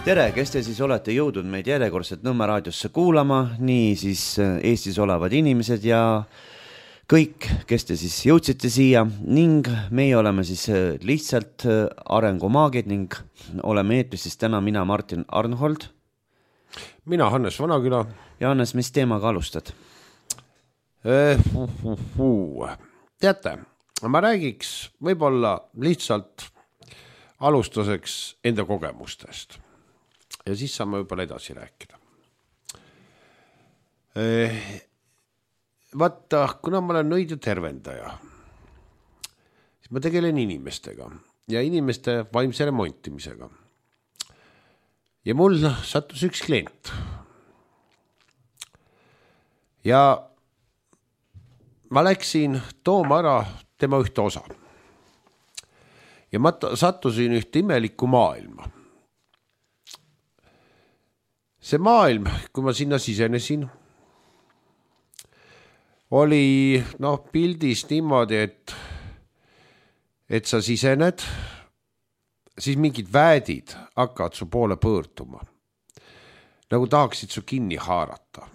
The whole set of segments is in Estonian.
Tere, kes te siis olete jõudnud meid järjekordselt Nõmme raadiosse kuulama, nii siis Eestis olevad inimesed ja kõik, kes te siis jõudsite siia ning meie oleme siis lihtsalt arengumaagid ning oleme eetris siis täna mina, Martin Arnhold. Mina, Hannes Vanaküla. Ja Hannes, mis teemaga alustad? Teate, ma räägiks võib-olla lihtsalt alustuseks enda kogemustest. Ja siis saame võib-olla edasi rääkida. Vaata, kuna ma olen nõid ja tervendaja, siis ma tegelen inimestega ja inimeste vaimse remontimisega. Ja mul sattus üks klient. Ja ma läksin tooma ära tema ühte osa. Ja ma sattusin ühte imelikku maailma. See maailm, kui ma sinna sisenesin, oli pildis niimoodi, et sa sisened, siis mingid väedid hakkavad su poole pöörduma. Nagu tahaksid su kinni haarata.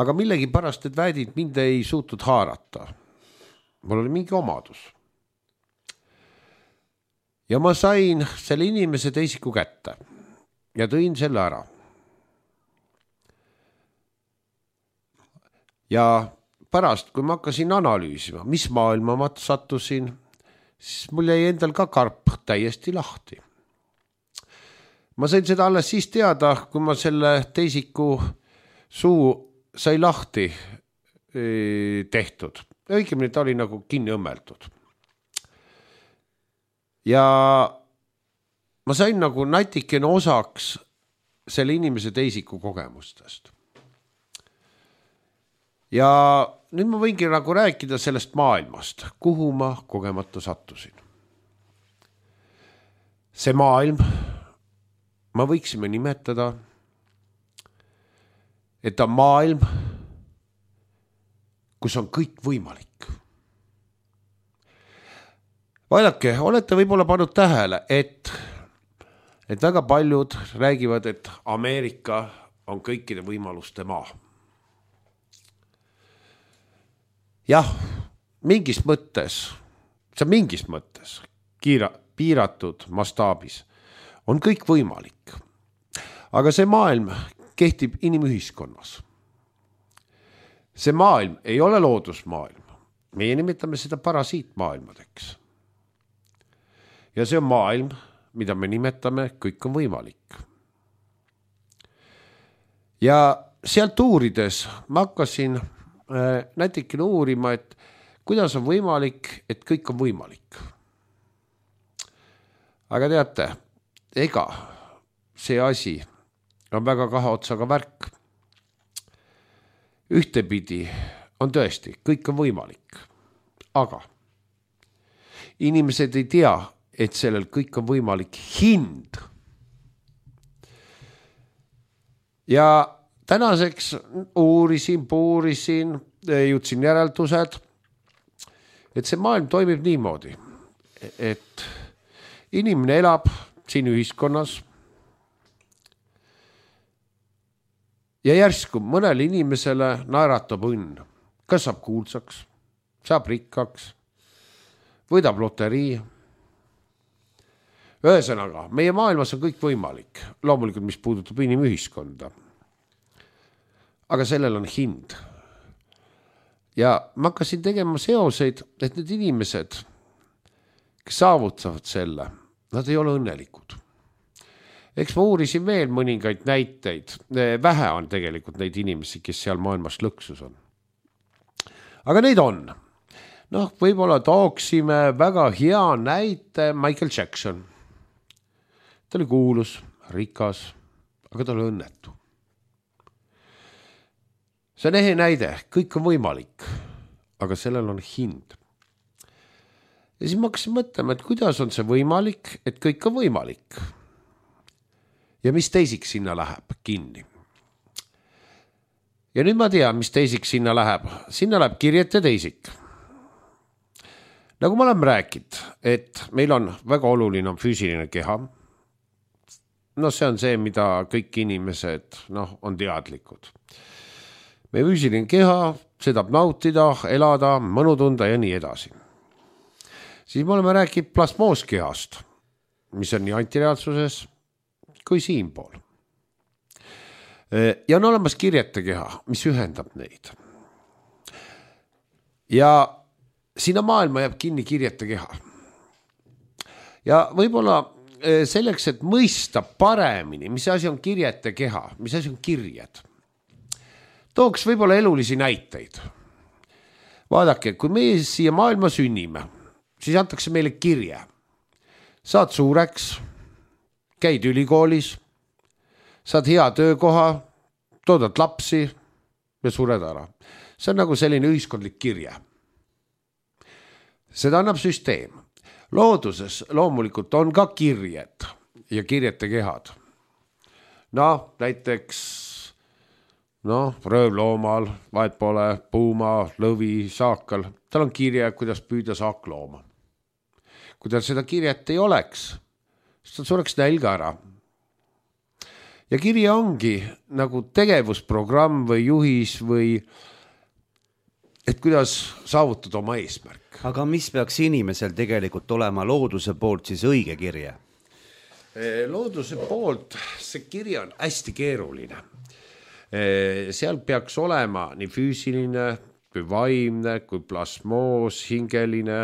Aga millegi pärast need väedid mind ei suutnud haarata. Mul oli mingi omadus. Ja ma sain selle inimese teisiku kätte. Ja tõin selle ära. Ja pärast, kui ma hakkasin analüüsima, mis maailma ma sattusin, siis mul jäi endal ka karp täiesti lahti. Ma sain seda alles siis teada, kui ma selle teisiku suu sai lahti tehtud. Õigemini ta oli nagu kinni õmmeldud. Ja ma sain nagu natikene osaks selle inimese teisiku kogemustest. Ja nüüd ma võingi nagu rääkida sellest maailmast, kuhu ma kogemata sattusin. See maailm, ma võiksime nimetada, et ta maailm, kus on kõik võimalik. Vaadake, olete võib-olla pannud tähele, et väga paljud räägivad, et Ameerika on kõikide võimaluste maa. Jah, mingis mõttes, piiratud mastaabis on kõik võimalik. Aga see maailm kehtib inimühiskonnas. See maailm ei ole loodusmaailm. Meie nimetame seda parasiitmaailmadeks. Ja see on maailm, mida me nimetame, kõik on võimalik. Ja sealt uurides ma hakkasin nätikene uurima, et kuidas on võimalik, et kõik on võimalik. Aga teate, ega see asi on väga kahe otsaga värk. Ühtepidi on tõesti, kõik on võimalik. Aga inimesed ei tea, et sellel kõik on võimalik hind. Ja tänaseks puurisin, jõudsin järeldused, et see maailm toimib niimoodi, et inimene elab siin ühiskonnas ja järsku mõnele inimesele naeratab õnn. Kas saab kuulsaks, saab rikkaks, võidab loterii. Ühesõnaga, meie maailmas on kõik võimalik, loomulikult mis puudutab inimühiskonda. Aga sellel on hind. Ja ma hakkasin tegema seoseid, et need inimesed, kes saavutavad selle, nad ei ole õnnelikud. Eks ma uurisin veel mõningaid näiteid. Vähe on tegelikult neid inimesi, kes seal maailmas lõksus on. Aga neid on. Võib-olla tooksime väga hea näite Michael Jackson. Ta oli kuulus, rikas, aga ta oli õnnetu. See on ehe näide, kõik on võimalik, aga sellel on hind. Ja siis ma hakkasin mõtlema, et kuidas on see võimalik, et kõik on võimalik. Ja mis teisiks sinna läheb kinni. Ja nüüd ma tean, mis teisiks sinna läheb. Sinna läheb kirjete teisik. Nagu ma olen rääkinud, et meil on väga oluline on füüsiline keha, no see on see, mida kõik inimesed on teadlikud. Meie füüsiline keha, seda nautida, elada, mõnu tunda ja nii edasi. Siis me oleme rääkinud plasmooskehast, mis on nii antireaalsuses kui siinpool. Ja on olemas kirjete keha, mis ühendab neid. Ja sinna maailma jääb kinni kirjete keha. Ja võib-olla selleks, et mõista paremini, mis asi on kirjete keha, mis asi on kirjed, tooks võib-olla elulisi näiteid. Vaadake, kui me siia maailma sünnime, siis antakse meile kirje. Saad suureks, käid ülikoolis, saad hea töökoha, toodad lapsi ja sured ära. See on nagu selline ühiskondlik kirje. Seda annab süsteem. Looduses loomulikult on ka kirjed ja kirjete kehad. Näiteks röövloomal, vahet pole, puuma, lõvi, saakal. Tal on kirje, kuidas püüda saaklooma. Kui tal seda kirjet ei oleks, siis ta sureks nälga ära. Ja kirje ongi nagu tegevusprogramm või juhis või et kuidas saavutada oma eesmärk. Aga mis peaks inimesel tegelikult olema looduse poolt siis õige kirje? Looduse poolt see kirje on hästi keeruline. Seal peaks olema nii füüsiline, kui vaimne, kui plasmoos, hingeline,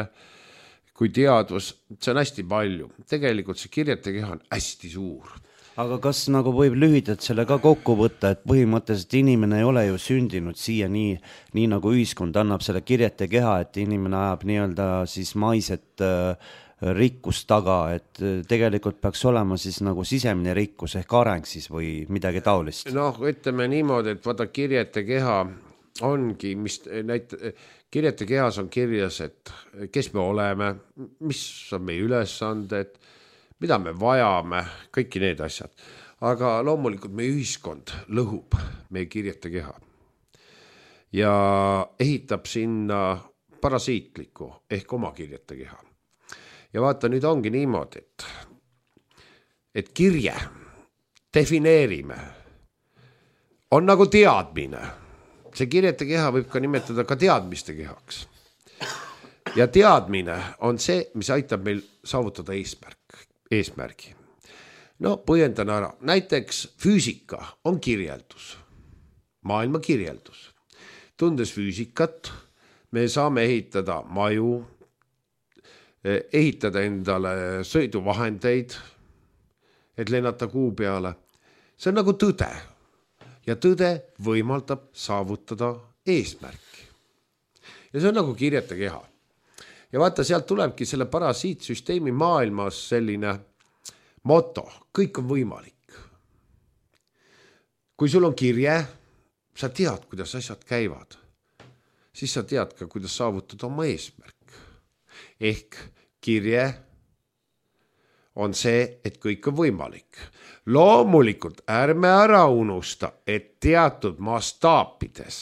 kui teadvus. See on hästi palju. Tegelikult see kirjete keha on hästi suur. Aga kas nagu võib lühidalt selle ka kokku võtta, et põhimõtteliselt inimene ei ole ju sündinud siia nii nagu ühiskond annab selle kirjete keha, et inimene ajab nii-öelda siis maiset rikkust taga, et tegelikult peaks olema siis nagu sisemine rikkus ehk areng siis või midagi taolist? Ütleme niimoodi, et vaata kirjete keha ongi, kirjete kehas on kirjas, et kes me oleme, mis on meie ülesanded, mida me vajame, kõiki need asjad. Aga loomulikult meie ühiskond lõhub meie kirjete keha ja ehitab sinna parasiitliku ehk oma kirjete keha. Ja vaata, nüüd ongi niimoodi, et kirje defineerime on nagu teadmine. See kirjete keha võib ka nimetada ka teadmiste kehaks. Ja teadmine on see, mis aitab meil saavutada eesmärgi. Põhjendan ära. Näiteks füüsika on kirjeldus, maailma kirjeldus. Tundes füüsikat, me saame ehitada maju, ehitada endale sõiduvahendeid, et lennata kuu peale. See on nagu tõde. Ja tõde võimaldab saavutada eesmärki. Ja see on nagu kirjete keha. Ja vaata, sealt tulebki selle parasiitsüsteemi maailmas selline moto, kõik on võimalik. Kui sul on kirje, sa tead, kuidas asjad käivad, siis sa tead ka, kuidas saavutada oma eesmärk. Ehk kirje on see, et kõik on võimalik. Loomulikult ärme ära unusta, et teatud mastaapides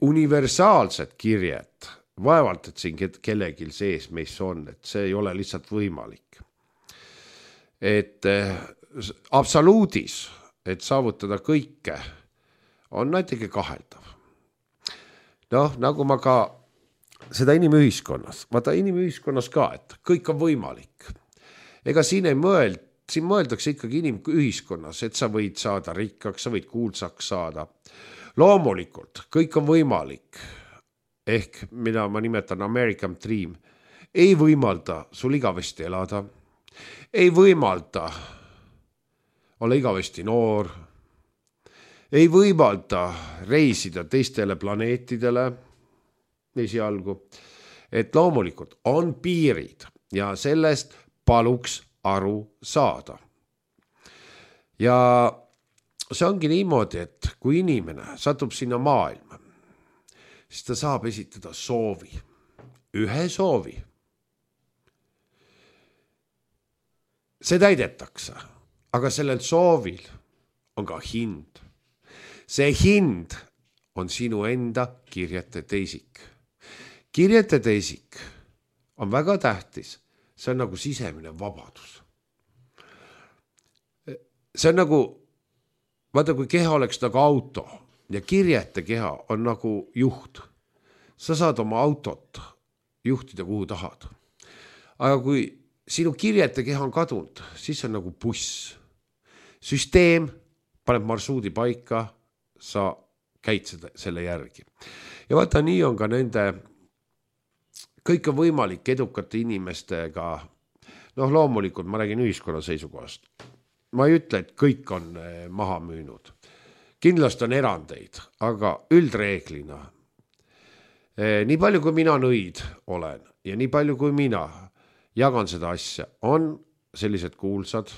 universaalsed kirjed vaevalt, et siin kellegil sees meis on, et see ei ole lihtsalt võimalik. Et absoluudis, et saavutada kõike, on natuke kaheldav. Nagu ma ka seda inimühiskonnas, vaata inimühiskonnas ka, et kõik on võimalik. Ega siin mõeldakse ikkagi inimühiskonnas, et sa võid saada rikkaks, sa võid kuulsaks saada. Loomulikult, kõik on võimalik. Ehk, mida ma nimetan American Dream, ei võimalda sul igavesti elada, ei võimalda olla igavesti noor, ei võimalda reisida teistele planeetidele esialgu, et loomulikult on piirid ja sellest paluks aru saada. Ja see ongi niimoodi, et kui inimene satub sinna maailma, siis ta saab esitada soovi, ühe soovi. See täidetakse, aga sellel soovil on ka hind. See hind on sinu enda kirjete teisik. Kirjete teisik on väga tähtis, see on nagu sisemine vabadus. see on nagu, vaata kui keha oleks nagu auto ja kirjete keha on nagu juht. Sa saad oma autot juhtida kuhu tahad. Aga kui sinu kirjete keha on kadunud, siis on nagu buss. Süsteem paneb marsruudi paika, sa käid selle järgi. Ja vaata, nii on ka nende, kõik on võimalik edukate inimestega, loomulikult ma räägin ühiskonna seisukohast. Ma ei ütle, et kõik on maha müünud. Kindlasti on erandeid, aga üldreeglina, nii palju kui mina nõid olen ja nii palju kui mina jagan seda asja, on sellised kuulsad,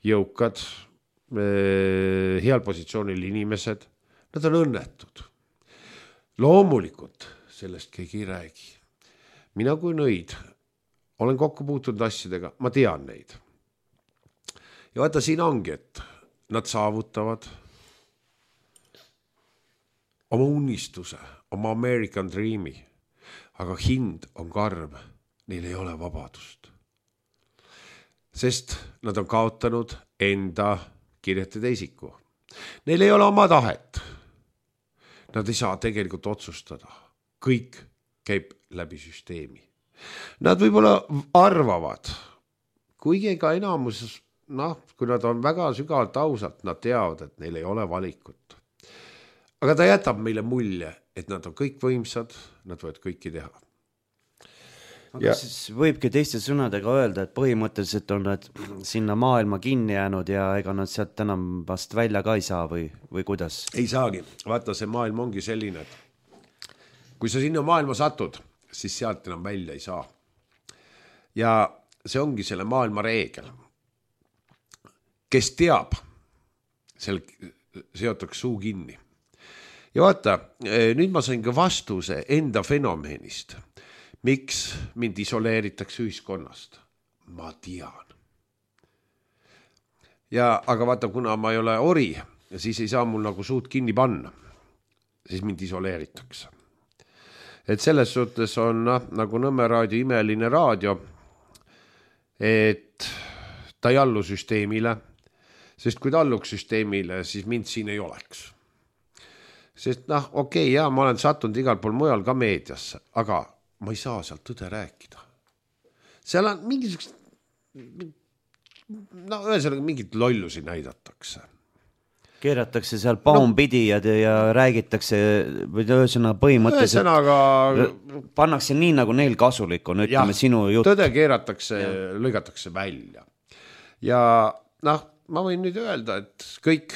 jõukad, heal positsioonil inimesed, nad on õnnetud. Loomulikult sellest keegi ei räägi. Mina kui nõid olen kokku puutunud asjadega, ma tean neid. Ja vaata, siin ongi, et nad saavutavad oma unistuse, oma American Dreami, aga hind on karm, neil ei ole vabadust. Sest nad on kaotanud enda kirjetada isiku. Neil ei ole oma tahet. Nad ei saa tegelikult otsustada. Kõik käib läbi süsteemi. Nad võib-olla arvavad, kuigi ka enamus, kui nad on väga sügavalt ausalt, nad teavad, et neil ei ole valikut. Aga ta jätab meile mulje, et nad on kõik võimsad, nad võivad kõiki teha. Aga siis võibki teiste sõnadega öelda, et põhimõtteliselt on nad sinna maailma kinni jäänud ja ega nad sealt enam vast välja ka ei saa või kuidas? Ei saagi. Vaata, see maailm ongi selline, et kui sa sinna maailma satud, siis sealt enam välja ei saa. Ja see ongi selle maailma reegel. Kes teab, seal seotakse suu kinni. Ja vaata, nüüd ma sain ka vastuse enda fenomenist. Miks mind isoleeritakse ühiskonnast? Ma tean. Aga vaata, kuna ma ei ole ori, siis ei saa mul nagu suud kinni panna. Siis mind isoleeritakse. Et selles suhtes on nagu Nõmme raadio imeline raadio, et ta ei allu süsteemile, sest kui ta alluks süsteemile, siis mind siin ei oleks. Sest okei, ma olen sattunud igal pool mujal ka meediasse, aga ma ei saa sealt tõde rääkida. Seal on mingisugust, ühesõnaga mingit lollusi näidatakse. Keeratakse seal paumpidi ja räägitakse, või ühesõnaga põhimõtteliselt pannakse nii, nagu neil kasulik on, ütleme sinu jutt. Tõde keeratakse, lõigatakse välja. Ja ma võin nüüd öelda, et kõik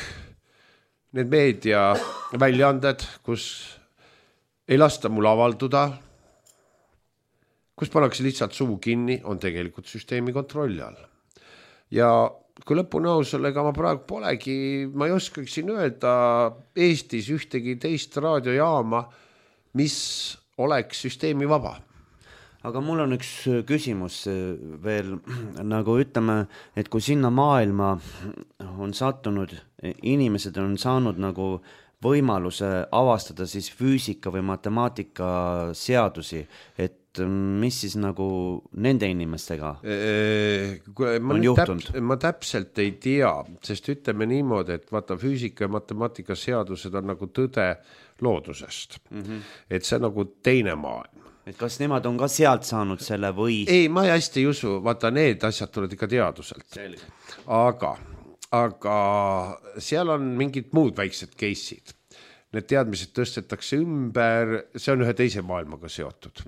need meedia väljaanded, kus ei lasta mul avalduda, kus pannakse lihtsalt suu kinni, on tegelikult süsteemi kontrolli all. Ja kui lõpuni ausale, ega ma praegu polegi, ma ei oskaks siin öelda Eestis ühtegi teist raadiojaama, mis oleks süsteemi vaba. Aga mul on üks küsimus veel, nagu ütleme, et kui sinna maailma on sattunud, inimesed on saanud nagu võimaluse avastada siis füüsika või matemaatika seadusi, et mis siis nagu nende inimestega on juhtunud? Ma täpselt ei tea, sest ütleme niimoodi, et vaata füüsika ja matemaatika seadused on nagu tõde loodusest. Et see on nagu teine maailm. Et kas nemad on ka sealt saanud selle või? Ei, ma hästi ei usu, vaata need asjad tulevad ikka teaduselt. Aga seal on mingid muud väiksed case'id. Need teadmised tõstetakse ümber, see on ühe teise maailmaga seotud.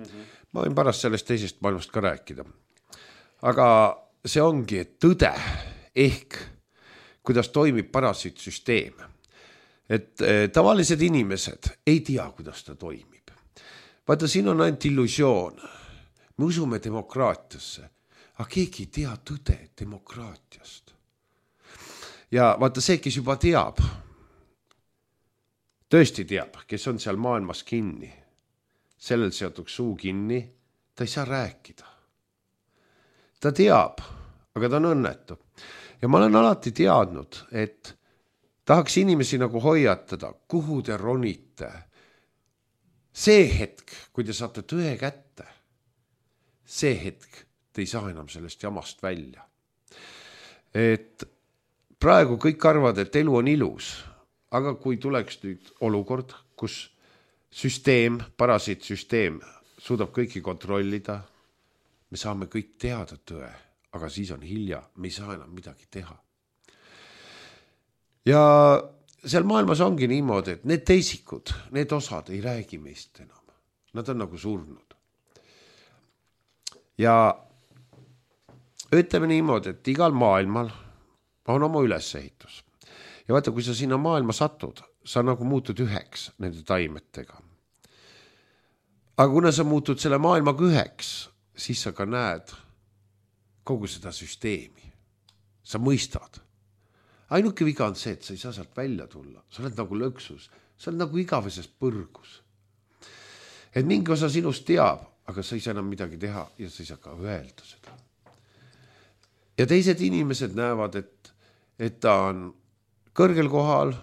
Ma võin pärast sellest teisest maailmast ka rääkida. Aga see ongi, et tõde ehk kuidas toimib parasiitsüsteem. Et tavalised inimesed ei tea, kuidas ta toimib. Vaata, siin on ainult illusioon. Me usume demokraatiasse, aga keegi ei tea tõde demokraatiast. Ja vaata see, kes juba teab, tõesti teab, kes on seal maailmas kinni, sellel seotuks suu kinni, ta ei saa rääkida. Ta teab, aga ta on õnnetu. Ja ma olen alati teadnud, et tahaks inimesi nagu hoiatada, kuhu te ronite. See hetk, kui te saate tõe kätte, see hetk te ei saa enam sellest jamast välja. Et praegu kõik arvavad, et elu on ilus, aga kui tuleks nüüd olukord, kus süsteem, parasiitsüsteem suudab kõiki kontrollida, me saame kõik teada tõe, aga siis on hilja, me ei saa enam midagi teha. Ja seal maailmas ongi niimoodi, et need teisikud, need osad ei räägi meist enam. Nad on nagu surnud. Ja ütleme niimoodi, et igal maailmal on oma ülesehitus. Ja vaata, kui sa sinna maailma satud, sa nagu muutud üheks nende taimetega. Aga kuna sa muutud selle maailmaga üheks, siis sa ka näed kogu seda süsteemi. Sa mõistad. Ainuke viga on see, et sa ei saa sealt välja tulla. Sa oled nagu lõksus. Sa oled nagu igaveses põrgus. Et mingi osa sinust teab, aga sa ei saa enam midagi teha ja sa ei saa ka öelda seda. Ja teised inimesed näevad, et ta on kõrgel kohal,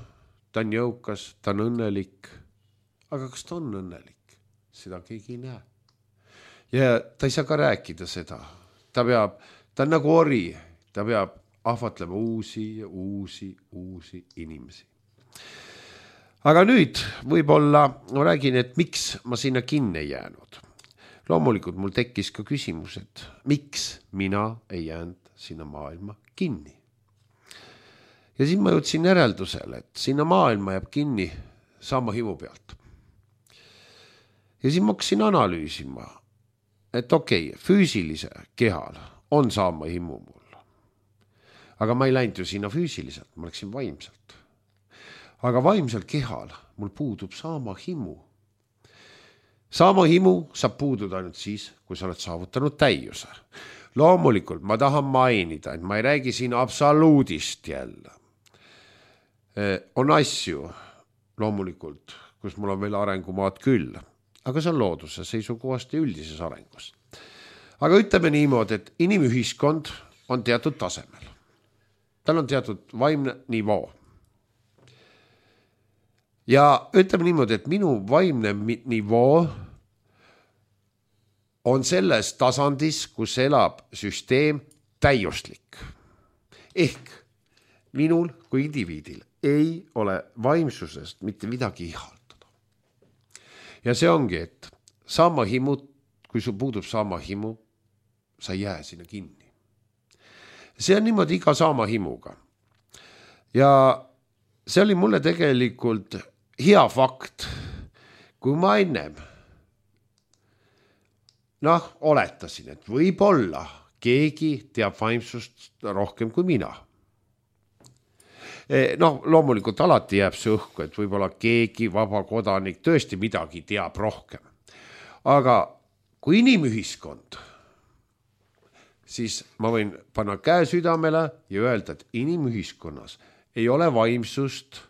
ta on jõukas, ta on õnnelik. Aga kas ta on õnnelik? Seda keegi ei näe. Ja ta ei saa ka rääkida seda. Ta on nagu ori, ta peab ahvatlema uusi inimesi. Aga nüüd võib-olla ma räägin, et miks ma sinna kinni ei jäänud. Loomulikult mul tekkis ka küsimus, et miks mina ei jäänud sinna maailma kinni. Ja siis ma jõudsin järeldusele, et sinna maailma jääb kinni sama himu pealt. Ja siis ma hakkasin analüüsima, et füüsilise kehal on saama himu mul. Aga ma ei läinud ju sinna füüsiliselt, ma läksin vaimselt. Aga vaimselt kehal mul puudub saama himu. Saama himu saab puududa ainult siis, kui sa oled saavutanud täiuse. Loomulikult ma tahan mainida, et ma ei räägi siin absoluudist jälle. On asju, loomulikult, kus mul on veel arengumaad küll, aga see on looduse seisukohast ja üldises arengus. Aga ütleme niimoodi, et inimühiskond on teatud tasemel. Tal on teatud vaimne nivoo. Ja ütleme niimoodi, et minu vaimne nivoo on selles tasandis, kus elab süsteem täiuslik. Ehk minul kui indiviidil ei ole vaimsusest mitte midagi ihaldada. Ja see ongi, et saama himu, kui sul puudub saama himu, sa ei jää sinna kinni. See on niimoodi iga saama himuga. Ja see oli mulle tegelikult hea fakt, kui ma ennem oletasin, et võib-olla keegi teab vaimsust rohkem kui mina. Loomulikult alati jääb see õhku, et võib-olla keegi vabakodanik tõesti midagi teab rohkem. Aga kui inimühiskond, siis ma võin panna käe südamele ja öelda, et inimühiskonnas ei ole vaimsust,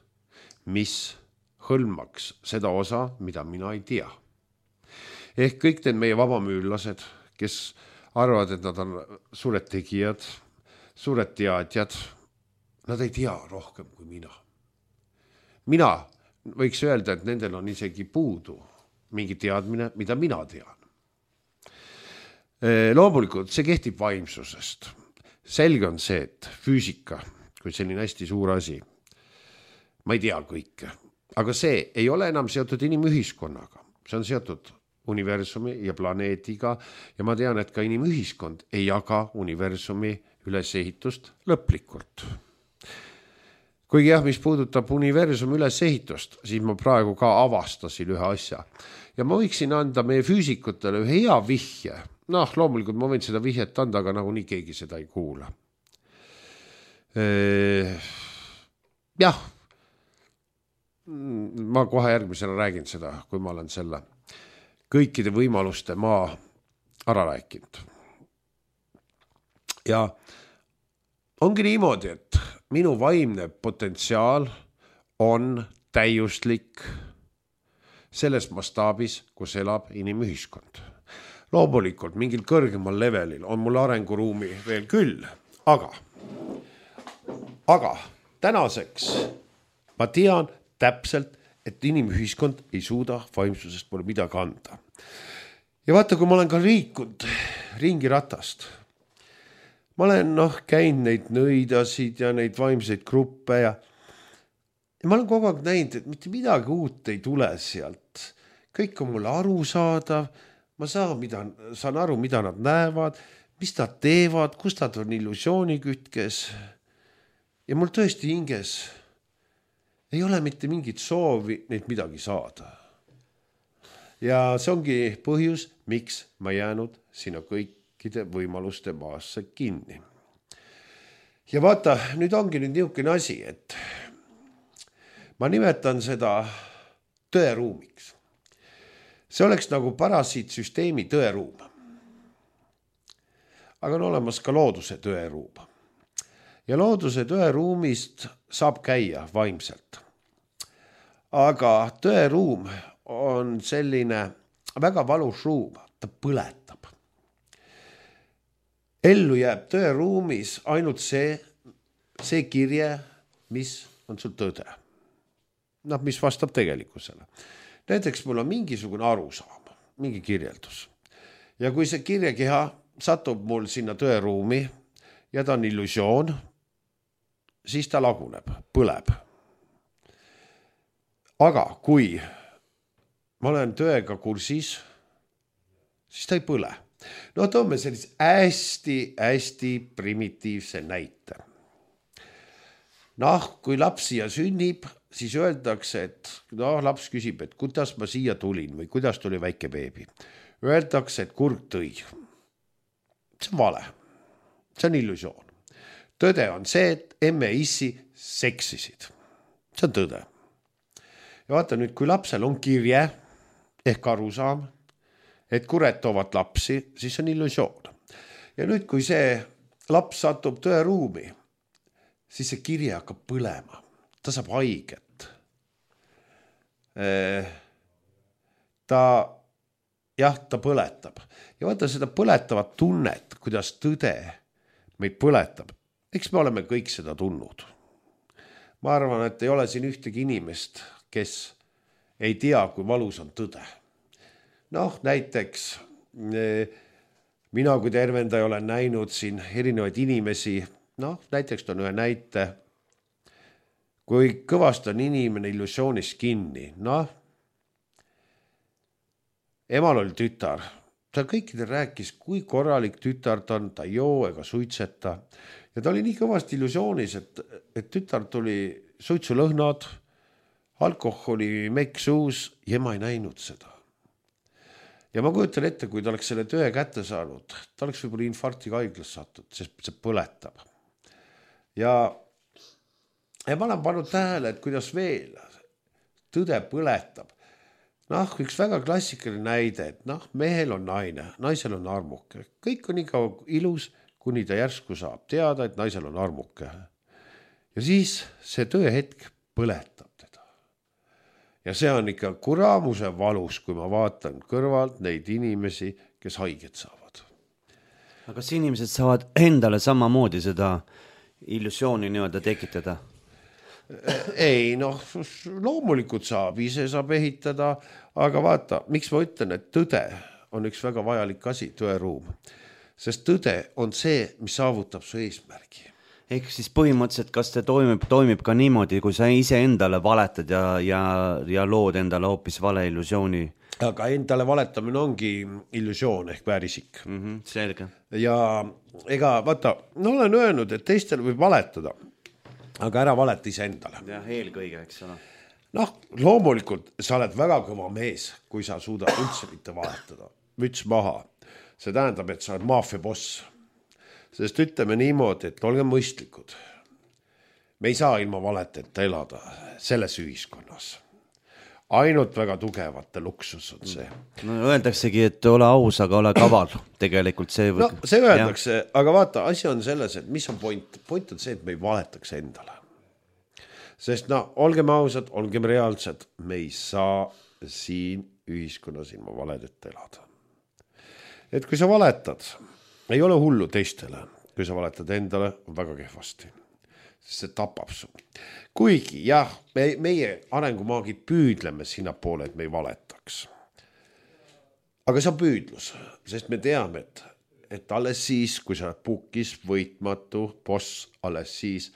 mis hõlmaks seda osa, mida mina ei tea. Ehk kõik need meie vabamüüllased, kes arvavad, et nad on suured tegijad, suured teadjad, nad ei tea rohkem kui mina. Mina võiks öelda, et nendel on isegi puudu mingi teadmine, mida mina tean. Loomulikult see kehtib vaimsusest. Selge on see, et füüsika, kui selline hästi suur asi, ma ei tea kõike, aga see ei ole enam seotud inimühiskonnaga. See on seotud universumi ja planeediga ja ma tean, et ka inimühiskond ei jaga universumi ülesehitust lõplikult. Kuigi jah, mis puudutab universumi ülesehitust, siis ma praegu ka avastasin ühe asja. Ja ma võiksin anda meie füüsikutele ühe hea vihje. Loomulikult ma võin seda vihjet anda, aga nagu nii keegi seda ei kuula. Jah, ma kohe järgmisena räägin seda, kui ma olen selle kõikide võimaluste maa ära rääkinud. Ja ongi niimoodi, et minu vaimne potentsiaal on täiuslik selles mastaabis, kus elab inimühiskond. Loomulikult mingil kõrgemal levelil on mul arenguruumi veel küll, aga tänaseks ma tean täpselt, et inimühiskond ei suuda vaimsusest mulle midagi anda. Ja vaata, kui ma olen ka liikunud ringi ratast, ma olen käinud neid nõidasid ja neid vaimseid gruppe ja ma olen kogu aeg näinud, et mitte midagi uut ei tule sealt. Kõik on mulle arusaadav, ma saan aru, mida nad näevad, mis nad teevad, kus nad on illusioonikütkes. Ja mul tõesti hinges ei ole mitte mingit soovi neid midagi saada. Ja see ongi põhjus, miks ma jäänud sinna kõikide võimaluste maasse kinni. Ja vaata, nüüd ongi niisugune asi, et ma nimetan seda tõeruumiks. See oleks nagu parasiitsüsteemi tõeruum. Aga on olemas ka looduse tõeruum. Ja looduse tõeruumist saab käia vaimselt. Aga tõeruum on selline väga valus ruum, ta põletab. Ellu jääb tõeruumis ainult see kirje, mis on sul tõde. Mis vastab tegelikkusele. Näiteks mul on mingisugune arusaam, mingi kirjeldus. Ja kui see kirjekeha satub mul sinna tõeruumi ja ta on illusioon, siis ta laguneb, põleb. Aga kui ma olen tõega kursis, siis ta ei põle. Toome sellise hästi primitiivse näite. Kui laps siia sünnib, siis öeldakse, et laps küsib, et kuidas ma siia tulin või kuidas tuli väike beebi. Öeldakse, et kurg tõi. See on vale. See on illusioon. Tõde on see, et emme ja issi seksisid. See on tõde. Ja vaata nüüd, kui lapsel on kirje ehk arusaam, et kured toovad lapsi, siis on illusioon. Ja nüüd, kui see laps satub tõeruumi, siis see kirje hakkab põlema. Ta saab haiget. Ta põletab. Ja vaata seda põletavat tunnet, kuidas tõde meid põletab. Eks me oleme kõik seda tundnud. Ma arvan, et ei ole siin ühtegi inimest, kes ei tea, kui valus on tõde. Näiteks mina kui tervendaja olen näinud siin erinevaid inimesi, näiteks on ühe näite, kui kõvasti on inimene illusioonis kinni. Emal oli tütar, ta kõikidel rääkis, kui korralik tütar ta on, ta ei joo ega suitseta. Ja ta oli nii kõvasti illusioonis, et tütar tuli suitsulõhnad, alkoholi mekk suus ja ma ei näinud seda. Ja ma kujutan ette, kui ta oleks selle töö kätte saanud, ta oleks võib-olla infarktiga haiglas sattud, sest see põletab. Ja ma olen pannud tähele, et kuidas veel tõde põletab. Üks väga klassikaline näide, et mehel on naine, naisel on armuke. Kõik on ikka ilus, kuni ta järsku saab teada, et naisel on armuke. Ja siis see tõehetk põletab teda. Ja see on ikka kuramuse valus, kui ma vaatan kõrvalt neid inimesi, kes haiget saavad. Aga kas inimesed saavad endale samamoodi seda illusiooni nii-öelda tekitada? Ei, loomulikult saab, ise saab ehitada, aga vaata, miks ma ütlen, et tõde on üks väga vajalik asi, tõeruum. Sest tõde on see, mis saavutab su eesmärgi. Ehk siis põhimõtteliselt, kas see toimib ka niimoodi, kui sa ise endale valetad ja lood endale hoopis vale illusiooni? Aga endale valetamine ongi illusioon ehk väärisik. Selge. Ja ega vaata, olen öelnud, et teistel võib valetada, aga ära valeta ise endale. Ja eelkõige, eks ole. Loomulikult sa oled väga kõva mees, kui sa suudad üldse mitte valetada. Müts maha. See tähendab, et sa oled maafia boss. Sest ütleme niimoodi, et olge mõistlikud. Me ei saa ilma valeteta elada selles ühiskonnas. Ainult väga tugevate luksus on see. Öeldaksegi, et ole aus, aga ole kaval. Tegelikult see see öeldakse, aga vaata, asi on selles, et mis on point? Point on see, et me ei valetaks endale. Sest olgem ausad, olgem reaalsed, me ei saa siin ühiskonnas ilma valedeta elada. Et kui sa valetad, ei ole hullu teistele, kui sa valetad endale, on väga kehvasti. Sest see tapab su. Kuigi, jah, meie arengumaagid püüdleme sinna poole, et me ei valetaks. Aga see on püüdlus, sest me teame, et alles siis, kui sa oled pukis võitmatu boss, alles siis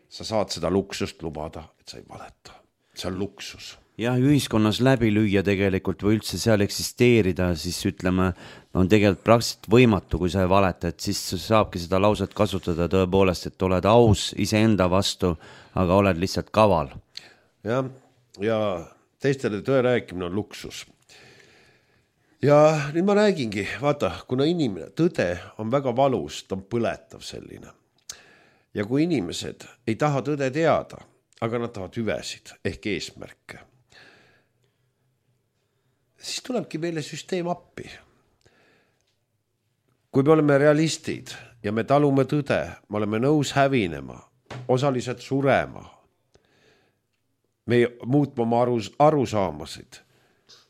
sa saad seda luksust lubada, et sa ei valeta. See on luksus. Jah, ühiskonnas läbi lüüa tegelikult või üldse seal eksisteerida, siis ütleme, on tegelikult praktiliselt võimatu, kui sa ei valeta, et siis saabki seda lauset kasutada tõepoolest, et oled aus iseenda vastu, aga oled lihtsalt kaval. Ja teistele tõe rääkimine on luksus. Ja nüüd ma räägingi, vaata, kuna inimene, tõde on väga valus, ta on põletav selline. Ja kui inimesed ei taha tõde teada, aga nad tahavad hüvesid ehk eesmärke, siis tulebki meile süsteem appi. Kui me oleme realistid ja me talume tõde, me oleme nõus hävinema, osaliselt surema, me muutma oma arusaamasid,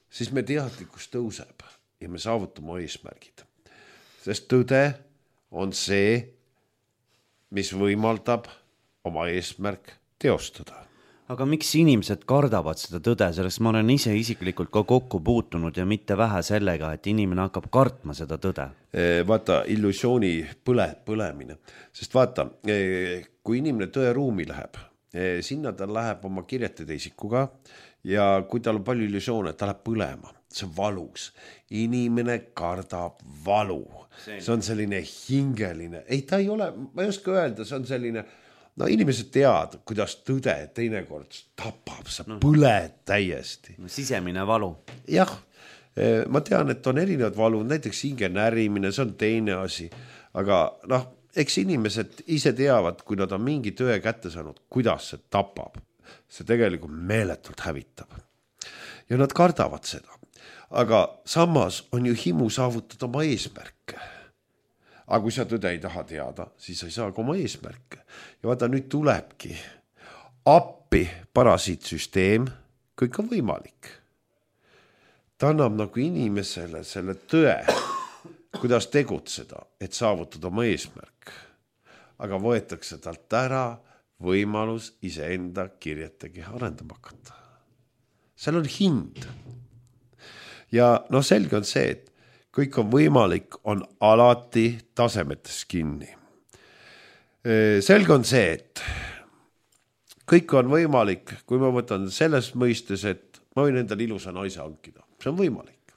siis me teadlikkus tõuseb ja me saavutame eesmärgid. Sest tõde on see, mis võimaldab oma eesmärk teostada. Aga miks inimesed kardavad seda tõde, selleks ma olen ise isiklikult ka kokku puutunud ja mitte vähe sellega, et inimene hakkab kartma seda tõde. Vaata, illusiooni põlemine. Sest vaata, kui inimene tõeruumi läheb, sinna ta läheb oma kirjetada isikuga ja kui tal on palju illusioone, ta läheb põlema. See on valus. Inimene kardab valu. See on selline hingeline. Ei, ta ei ole, ma ei oska öelda, see on selline... No inimesed teavad, kuidas tõde teinekord tapab, sa põled täiesti. Sisemine valu. Jah, ma tean, et on erinevad valu, näiteks hinge närimine, see on teine asi. Aga eks inimesed ise teavad, kui nad on mingi töö kätte saanud, kuidas see tapab. See tegelikult meeletult hävitab. Ja nad kardavad seda. Aga samas on ju himu saavutada oma eesmärke. Aga kui sa tõde ei taha teada, siis sa ei saa ka oma eesmärke. Ja vaata, nüüd tulebki appi parasiitsüsteem, kõik on võimalik. Ta annab nagu inimesele selle tõe, kuidas tegutseda, et saavutada oma eesmärk. Aga võetakse talt ära võimalus iseenda kirjetegi arendama hakata. Seal on hind. Ja selge on see, et kõik on võimalik, on alati tasemetes kinni. Selge on see, et kõik on võimalik, kui ma võtan selles mõistes, et ma võin endale ilusa naise hankida. See on võimalik.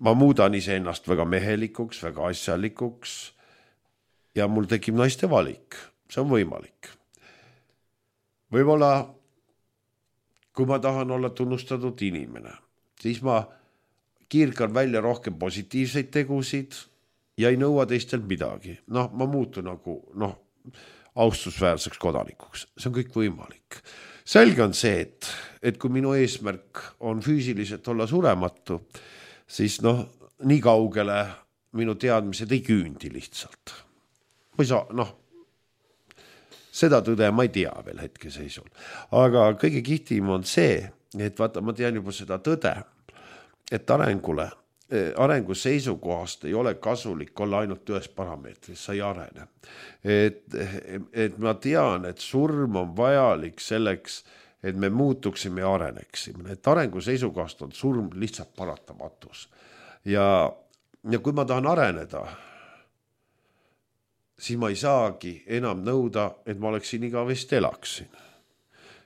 Ma muudan iseennast väga mehelikuks, väga asjalikuks ja mul tekib naiste valik. See on võimalik. Võib-olla, kui ma tahan olla tunnustatud inimene, siis ma kiirkan välja rohkem positiivseid tegusid ja ei nõua teistelt midagi. Ma muutun nagu austusväärseks kodanikuks. See on kõik võimalik. Selge on see, et kui minu eesmärk on füüsiliselt olla surematu, siis nii kaugele minu teadmised ei küündi lihtsalt. Ma ei saa, seda tõde ma ei tea veel hetkeseisul. Aga kõige kihtim on see, et vaata, ma tean juba seda tõde, et arengu seisukohast ei ole kasulik olla ainult ühes parameetris, sa ei arene. Et ma tean, et surm on vajalik selleks, et me muutuksime ja areneksime. Et arengu seisukohast on surm lihtsalt paratamatus. Ja kui ma tahan areneda, siis ma ei saagi enam nõuda, et ma oleksin igavesti elaksin.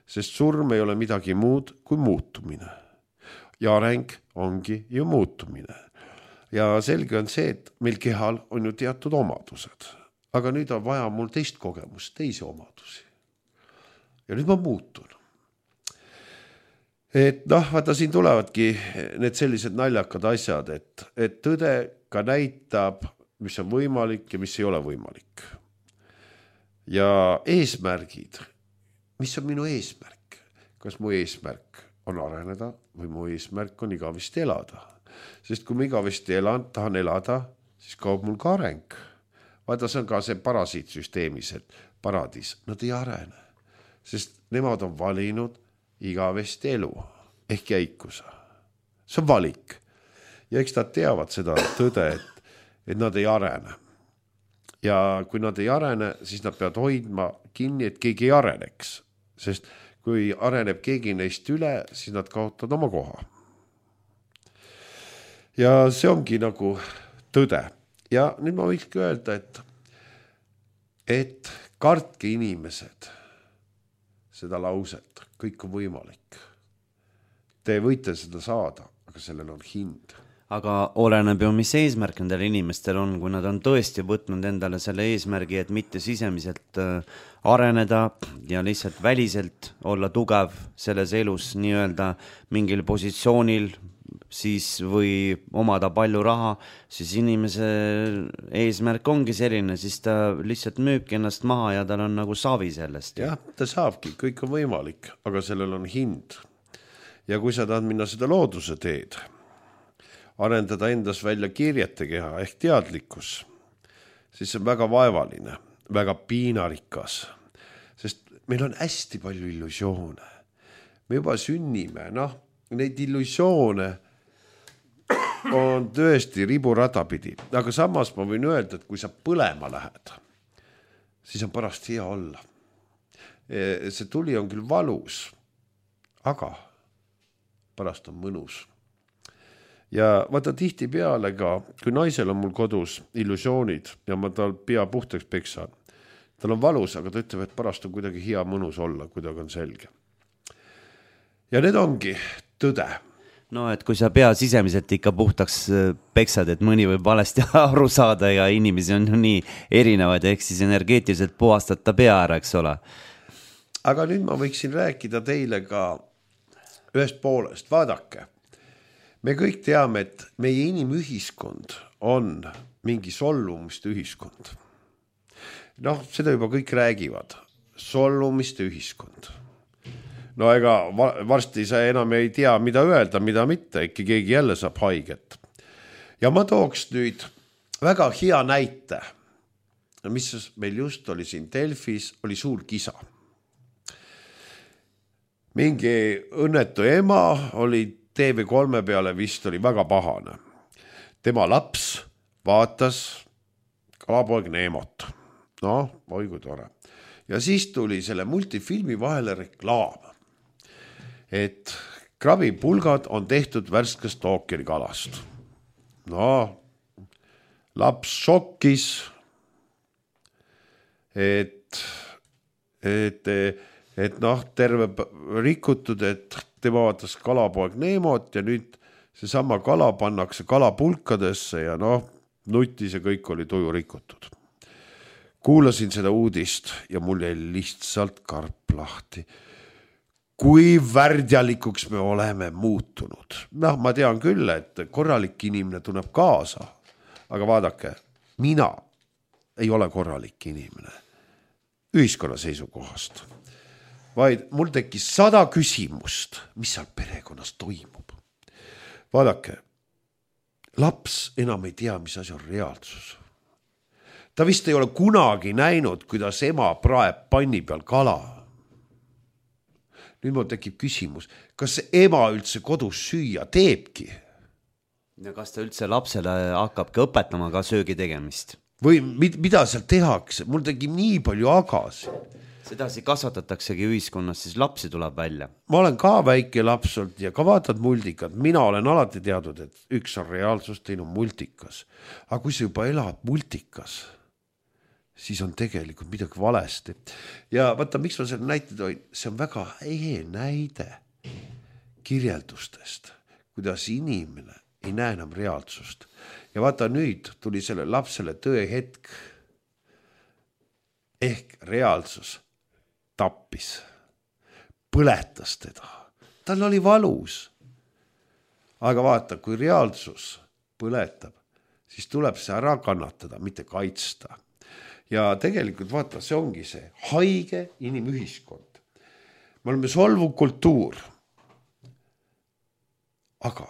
Sest surm ei ole midagi muud kui muutumine. Ja areng ongi ju muutumine. Ja selge on see, et meil kehal on ju teatud omadused. Aga nüüd on vaja mul teist kogemust, teisi omadusi. Ja nüüd ma muutun. Et vaata, siin tulevadki need sellised naljakad asjad, et tõde ka näitab, mis on võimalik ja mis ei ole võimalik. Ja eesmärgid. Mis on minu eesmärk? Kas mu eesmärk on areneda või mu eesmärk on igavesti elada. Sest kui ma igavesti tahan elada, siis kaob mul ka areng. Vaata, see on ka see parasiitsüsteemis, et paradis, nad ei arene. Sest nemad on valinud igavesti elu ehk jäikusa. See on valik. Ja eks nad teavad seda tõde, et nad ei arene. Ja kui nad ei arene, siis nad peavad hoidma kinni, et keegi ei areneks. Sest kui areneb keegi neist üle, siis nad kaotavad oma koha. Ja see ongi nagu tõde. ja nüüd ma võikski öelda, et kartke inimesed seda lauset, kõik on võimalik. Te võite seda saada, aga sellel on hind. Aga oleneb ju, mis eesmärk nendel inimestel on, kui nad on tõesti võtnud endale selle eesmärgi, et mitte sisemiselt areneda ja lihtsalt väliselt olla tugev selles elus nii-öelda mingil positsioonil, siis või omada palju raha, siis inimese eesmärk ongi selline, siis ta lihtsalt müübki ennast maha ja tal on nagu savi sellest. Jah, ta saabki, kõik on võimalik, aga sellel on hind. Ja kui sa tahad minna seda looduse teed, arendada endas välja kirjete keha ehk teadlikkus, siis see on väga vaevaline, väga piinarikas, sest meil on hästi palju illusioone. Me juba sünnime, neid illusioone on tõesti riburada pidi, aga samas ma võin öelda, et kui sa põlema lähed, siis on pärast hea olla. See tuli on küll valus, aga pärast on mõnus. Ja vaata tihti peale ka, kui naisel on mul kodus illusioonid ja ma tal pea puhtaks peksan, tal on valus, aga ta ütleb, et pärast on kuidagi hea mõnus olla, kuidagi on selge. Ja need ongi tõde. No, et kui sa pea sisemiselt ikka puhtaks peksad, et mõni võib valesti aru saada ja inimesi on ju nii erinevad, ehk siis energeetiliselt puhastad ta pea ära, eks ole. Aga nüüd ma võiksin rääkida teile ka ühest poolest. Vaadake, me kõik teame, et meie inimühiskond on mingi sollumiste ühiskond. Seda juba kõik räägivad. Sollumiste ühiskond. No ega varsti sa enam ei tea, mida öelda, mida mitte, äkki keegi jälle saab haiget. Ja ma tooks nüüd väga hea näite, mis meil just oli siin Delfis, oli suur kisa. Mingi õnnetu ema oli TV3 peale vist oli väga pahane. Tema laps vaatas Kalapoeg Neemot. Oi kui tore. Ja siis tuli selle multifilmi vahele reklaam, et krabipulgad on tehtud värskest ookeanikalast. Laps šokkis, et terve rikutud, et tema vaatas Kalapoeg Neemot ja nüüd seesama kala pannakse kalapulkadesse ja nutis ja kõik oli tuju rikutud. Kuulasin seda uudist ja mul jäi lihtsalt karp lahti. Kui värdjalikuks me oleme muutunud. Ma tean küll, et korralik inimene tunneb kaasa, aga vaadake, mina ei ole korralik inimene ühiskonna seisukohast, vaid mul tekkis 100 küsimust, mis seal perekonnas toimub. Vaadake, laps enam ei tea, mis asi on reaalsus. Ta vist ei ole kunagi näinud, kuidas ema praeb panni peal kala. Nüüd mul tekib küsimus, kas ema üldse kodus süüa teebki? Ja kas ta üldse lapsele hakkabki õpetama ka söögi tegemist? Või mida seal tehakse? Mul tekib nii palju agasi. Sedasi kasvatataksegi ühiskonnas, siis lapsi tuleb välja. Ma olen ka väike laps olnud ja ka vaatad multikat. Mina olen alati teadnud, et üks on reaalsus, teine on multikas. Aga kui sa juba elad multikas, siis on tegelikult midagi valesti. Ja vaata, miks ma selle näite toin? See on väga hea näide kirjeldustest, kuidas inimene ei näe enam reaalsust. Ja vaata, nüüd tuli selle lapsele tõehetk ehk reaalsus tappis, põletas teda. Tal oli valus. Aga vaata, kui reaalsus põletab, siis tuleb see ära kannatada, mitte kaitsta. Ja tegelikult vaata, see ongi see haige inimühiskond. Me oleme solvuv kultuur. Aga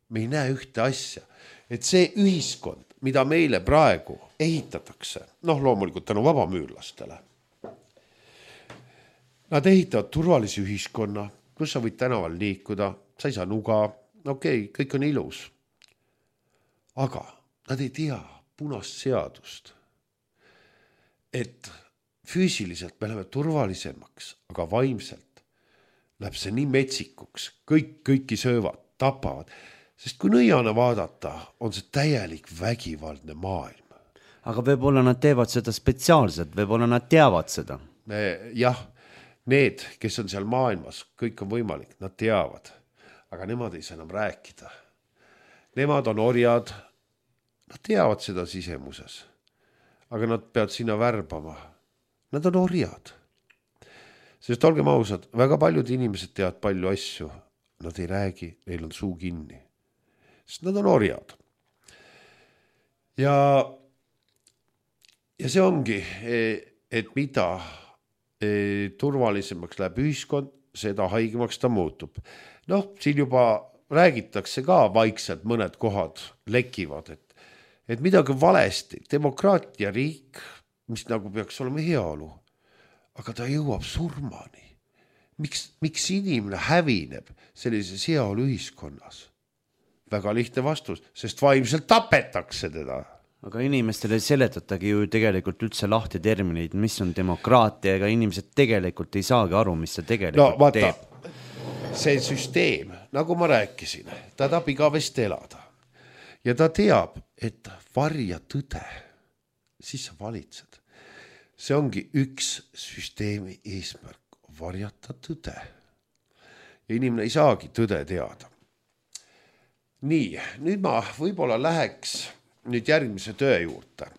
me ei näe ühte asja, et see ühiskond, mida meile praegu ehitatakse, loomulikult tänu vabamüürlastele, nad ehitavad turvalisi ühiskonna, kus sa võid tänaval liikuda, sa ei saa nuga, kõik on ilus. Aga nad ei tea punast seadust, et füüsiliselt me läheme turvalisemaks, aga vaimselt läheb see nii metsikuks, kõiki söövad, tapavad. Sest kui nõiana vaadata, on see täielik vägivaldne maailm. aga võib-olla nad teevad seda spetsiaalselt, võib-olla nad teavad seda. Jah, need, kes on seal maailmas, kõik on võimalik, nad teavad, aga nemad ei saa enam rääkida. Nemad on orjad, nad teavad seda sisemuses, aga nad peavad sinna värbama. Nad on orjad. Sest olgem ausad, väga paljud inimesed teavad palju asju, nad ei räägi, neil on suu kinni. Sest nad on orjad. Ja see ongi, et mida turvalisemaks läheb ühiskond, seda haigemaks ta muutub. Siin juba räägitakse ka vaikselt, mõned kohad lekivad, et midagi valesti, demokraatia riik, mis nagu peaks olema heaolu, aga ta jõuab surmani. Miks inimene hävineb sellises heaolu ühiskonnas? Väga lihtne vastus, sest vaimselt tapetakse teda. Aga inimestele seletatagi ju tegelikult üldse lahti termineid, mis on demokraatia, ega inimesed tegelikult ei saagi aru, mis see tegelikult teeb. See süsteem, nagu ma rääkisin, ta tahab igavesti elada. Ja ta teab, et varja tõde, siis sa valitsed. See ongi üks süsteemi eesmärk, varjata tõde. Ja inimene ei saagi tõde teada. Nii, nüüd ma võib-olla läheks nüüd järgmise töö juurde.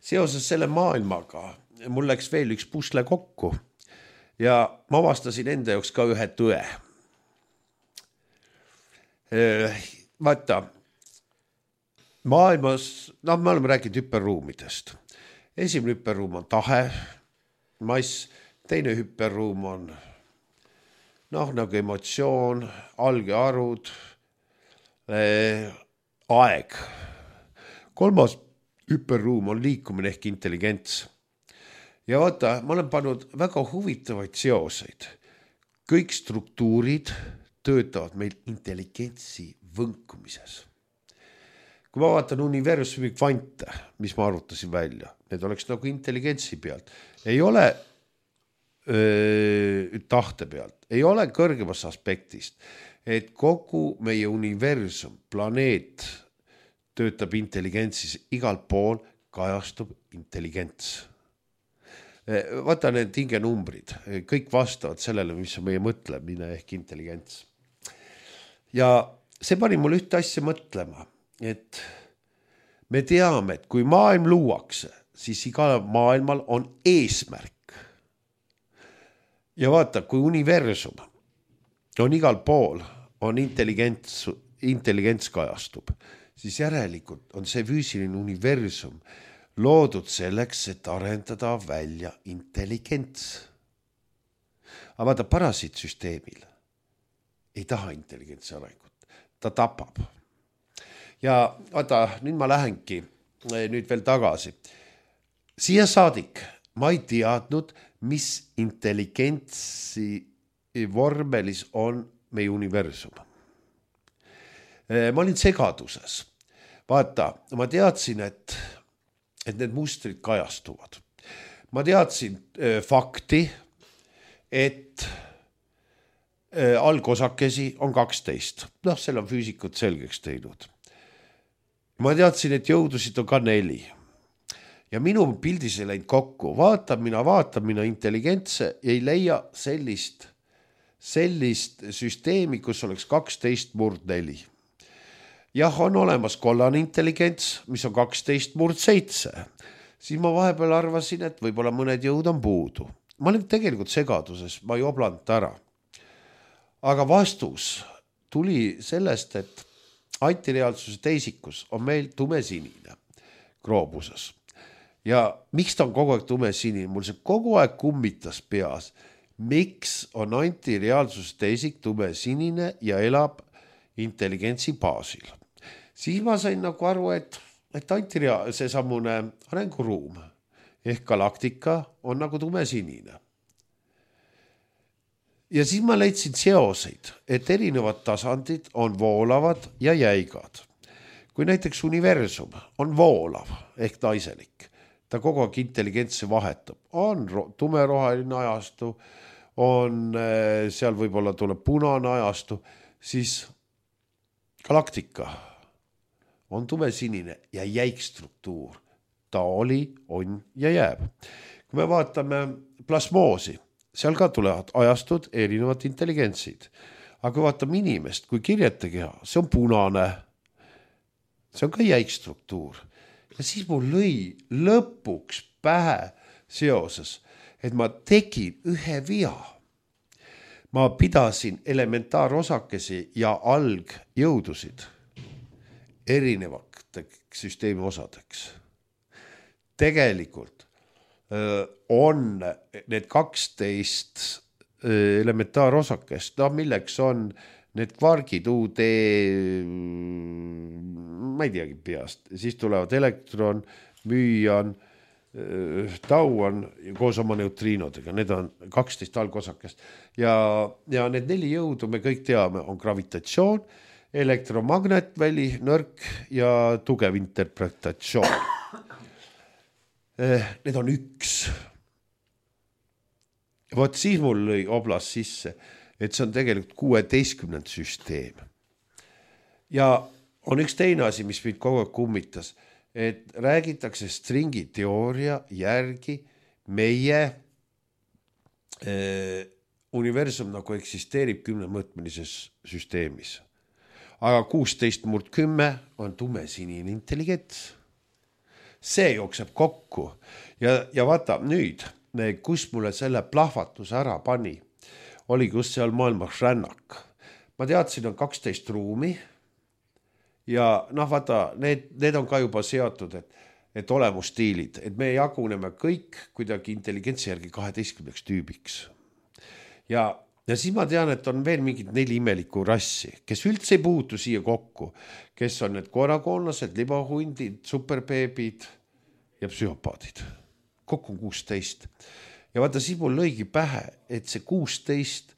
Seoses selle maailmaga mul läks veel üks pusle kokku ja ma avastasin enda jaoks ka ühe tõe. Vaata, maailmas, me oleme rääkinud hüperruumidest. Esimene hüperruum on tahe, mass, teine hüperruum on nagu emotsioon, algearvud, aeg. Kolmas hüperruum on liikumine ehk intelligents. Ja vaata, ma olen pannud väga huvitavaid seoseid. Kõik struktuurid töötavad meil intelligentsi võnkumises. Kui ma vaatan universumi kvante, mis ma arvutasin välja, need oleks nagu intelligentsi pealt. Ei ole tahte pealt, ei ole kõrgemas aspektist, et kogu meie universum, planeet töötab intelligentsis, igal pool kajastub intelligents. Vaata need hingenumbrid, kõik vastavad sellele, mis on meie mõtlemine ehk intelligents. Ja see pani mul ühte asja mõtlema, et me teame, et kui maailm luuakse, siis igal maailmal on eesmärk. Ja vaata, kui universum on igal pool, on intelligents kajastub, siis järelikult on see füüsiline universum loodud selleks, et arendada välja intelligents. Aga vaata, parasiitsüsteemil ei taha intelligentsi arengut, ta tapab. Ja vaata, nüüd ma lähengi nüüd veel tagasi. Siia saadik ma ei teadnud, mis intelligentsi vormelis on meie universum. Ma olin segaduses. Vaata, ma teadsin, et need mustrid kajastuvad. Ma teadsin fakti, et algosakesi on 12. Selle on füüsikud selgeks teinud. Ma teadsin, et jõudusid on ka 4. Ja minu pildis ei läinud kokku. Vaatan mina intelligentse ja ei leia sellist süsteemi, kus oleks 12/4. Jah, on olemas kollane intelligents, mis on 12/7. Siis ma vahepeal arvasin, et võib-olla mõned jõud on puudu. Ma olin tegelikult segaduses, ma ei oblanud ära. Aga vastus tuli sellest, et antireaalsuse teisikus on meil tumesinine groobuses. Ja miks ta on kogu aeg tumesinine? Mul see kogu aeg kummitas peas. Miks on antireaalsuse teisik tumesinine ja elab intelligentsi baasil? Siis ma sain nagu aru, et see samune arenguruum ehk galaktika on nagu tumesinine. Ja siis ma leidsin seoseid, et erinevad tasandid on voolavad ja jäigad. Kui näiteks universum on voolav ehk naiselik, ta kogu aeg intelligentsi vahetab, on tumeroheline ajastu, on seal võib-olla tuleb punane ajastu, siis galaktika on tumesinine ja jäik struktuur. Ta oli, on ja jääb. Kui me vaatame plasmoosi, seal ka tulevad ajastud erinevad intelligentsid. Aga kui vaatame inimest, kui kirjetakeha, see on punane. See on ka jäik struktuur. Ja siis mul lõi lõpuks pähe seoses, et ma tegin ühe via. Ma pidasin elementaarosakesi ja algjõudusid erinevateks süsteemi osadeks. Tegelikult on need 12 elementaarosakest, milleks on need kvargid, UD, ma ei teagi peast, siis tulevad elektron, müüan, tauan koos oma neutriinodega, need on 12 algosakest ja need 4 jõudu me kõik teame, on gravitatsioon, elektromagnetväli, nõrk ja tugev interpretatsioon. Need on üks. Vot siis mul lõi oblas sisse, et see on tegelikult 16. süsteem. Ja on üks teine asi, mis mind kogu aeg kummitas, et räägitakse stringi teooria järgi meie universum nagu eksisteerib 10-mõõtmelises süsteemis. Aga 16/10 on tumesinine intelligents. See jookseb kokku ja vaata nüüd, kus mulle selle plahvatuse ära pani, oli just seal maailmas rännak. Ma teadsin, on 12 ruumi ja vaata, need on ka juba seotud, et olemusstiilid, et me jaguneme kõik kuidagi intelligentsi järgi 12 tüübiks. Ja siis ma tean, et on veel mingid 4 imelikku rassi, kes üldse ei puutu siia kokku, kes on need koerakoonlased, libahundid, superbeebid ja psühhopaadid. Kokku on 16. Ja vaata, siis mul lõigi pähe, et see 16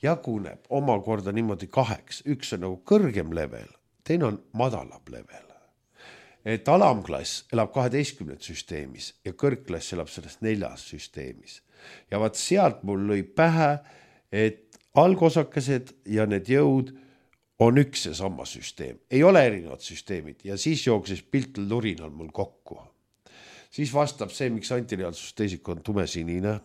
jaguneb omakorda niimoodi 2. Üks on nagu kõrgem level, teine on madalam level. Et alamklass elab 12 süsteemis ja kõrgklass elab sellest 4 süsteemis. Ja vaat sealt mul lõi pähe, et algosakesed ja need jõud on üks ja sama süsteem. Ei ole erinevad süsteemid ja siis jooksis piltel lurinal mul kokku. Siis vastab see, miks antireaalsusteisik on tumesinine.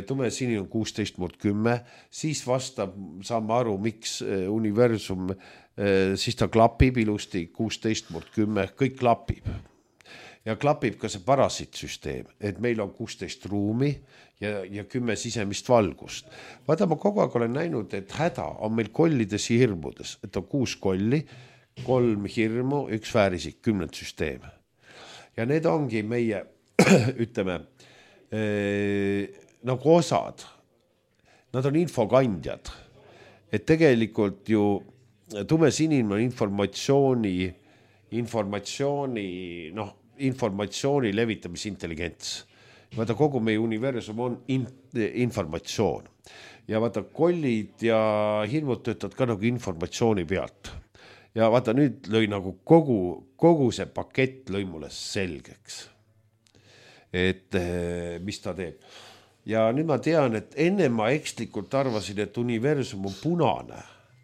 Tumesinine on 16/10. Siis vastab, saame aru, miks universum, siis ta klapib ilusti 16/10, kõik klapib. Ja klapib ka see parasiitsüsteem, et meil on 16 ruumi ja 10 sisemist valgust. Vaata, ma kogu aeg olen näinud, et häda on meil kollides ja hirmudes, et on 6 kolli, 3 hirmu, 1 väärisik, 10 süsteem. Ja need ongi meie, ütleme, nagu osad. Nad on infokandjad. Et tegelikult ju tumesinine on informatsiooni levitamise intelligents. Vaata, kogu meie universum on informatsioon. Ja vaata, kollid ja hirmud töötavad ka nagu informatsiooni pealt. Ja vaata, nüüd lõi nagu kogu see pakett lõi mulle selgeks, et mis ta teeb. Ja nüüd ma tean, et enne ma ekslikult arvasin, et universum on punane,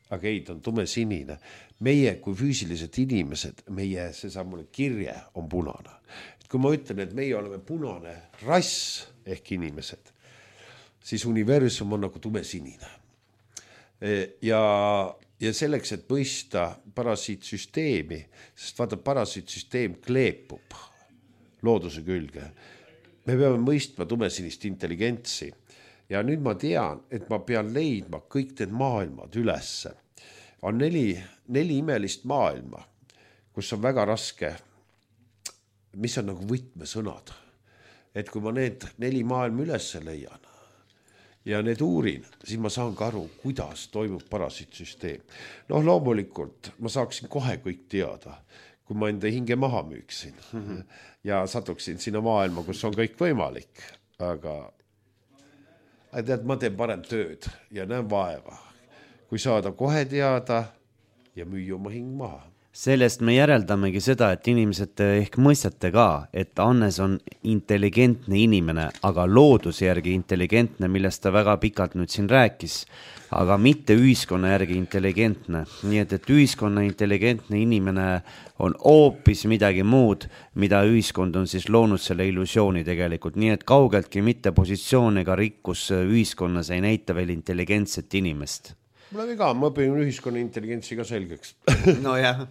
aga ei, ta on tumesinine. Meie kui füüsilised inimesed, meie seesamune kirje on punane. Et kui ma ütlen, et meie oleme punane rass ehk inimesed, siis universum on nagu tumesinine. Ja selleks, et mõista parasiitsüsteemi, sest vaata, parasiitsüsteem kleepub looduse külge. Me peame mõistma tumesinist intelligentsi. Ja nüüd ma tean, et ma pean leidma kõik need maailmad ülesse. On 4 imelist maailma, kus on väga raske, mis on nagu võtmesõnad. Et kui ma need 4 maailma ülesse leian ja need uurin, siis ma saan ka aru, kuidas toimub parasiitsüsteem. Loomulikult ma saaksin kohe kõik teada, kui ma enda hinge maha müüksin ja satuksin sinna maailma, kus on kõik võimalik. Aga tead, ma teen parem tööd ja näen vaeva, kui saada kohe teada ja müüa oma hing maha. sellest me järeldamegi seda, et inimesed ehk mõistate ka, et Hannes on intelligentne inimene, aga looduse järgi intelligentne, millest ta väga pikalt nüüd siin rääkis, aga mitte ühiskonna järgi intelligentne. Nii et ühiskonna intelligentne inimene on hoopis midagi muud, mida ühiskond on siis loonud selle illusiooni tegelikult. Nii et kaugeltki mitte positsioon ega rikkus ühiskonnas ei näita veel intelligentset inimest. Mul on ka, ma õpin ühiskonna intelligentsi ka selgeks. No jah,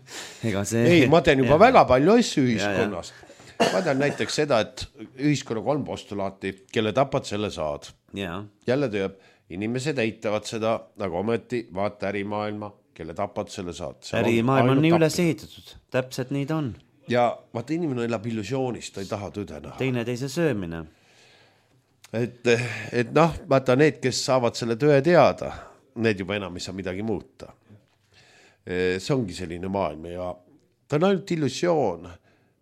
ega see... Ei, ma teen juba väga palju asju ühiskonnast. Ma tean näiteks seda, et ühiskonna 3 postulaati, kelle tapad, selle saad. Jälle tööb, inimesed eitavad seda, aga ometi vaata ärimaailma, kelle tapad, selle saad. Ärimaailm on nii üles ehitatud, täpselt nii ta on. Ja vaata, inimene elab illusioonist, ta ei taha tõde näha. Teineteise söömine. Et noh, vaata need, kes saavad selle tõe teada, need juba enam ei saa midagi muuta. See ongi selline maailm ja ta on ainult illusioon.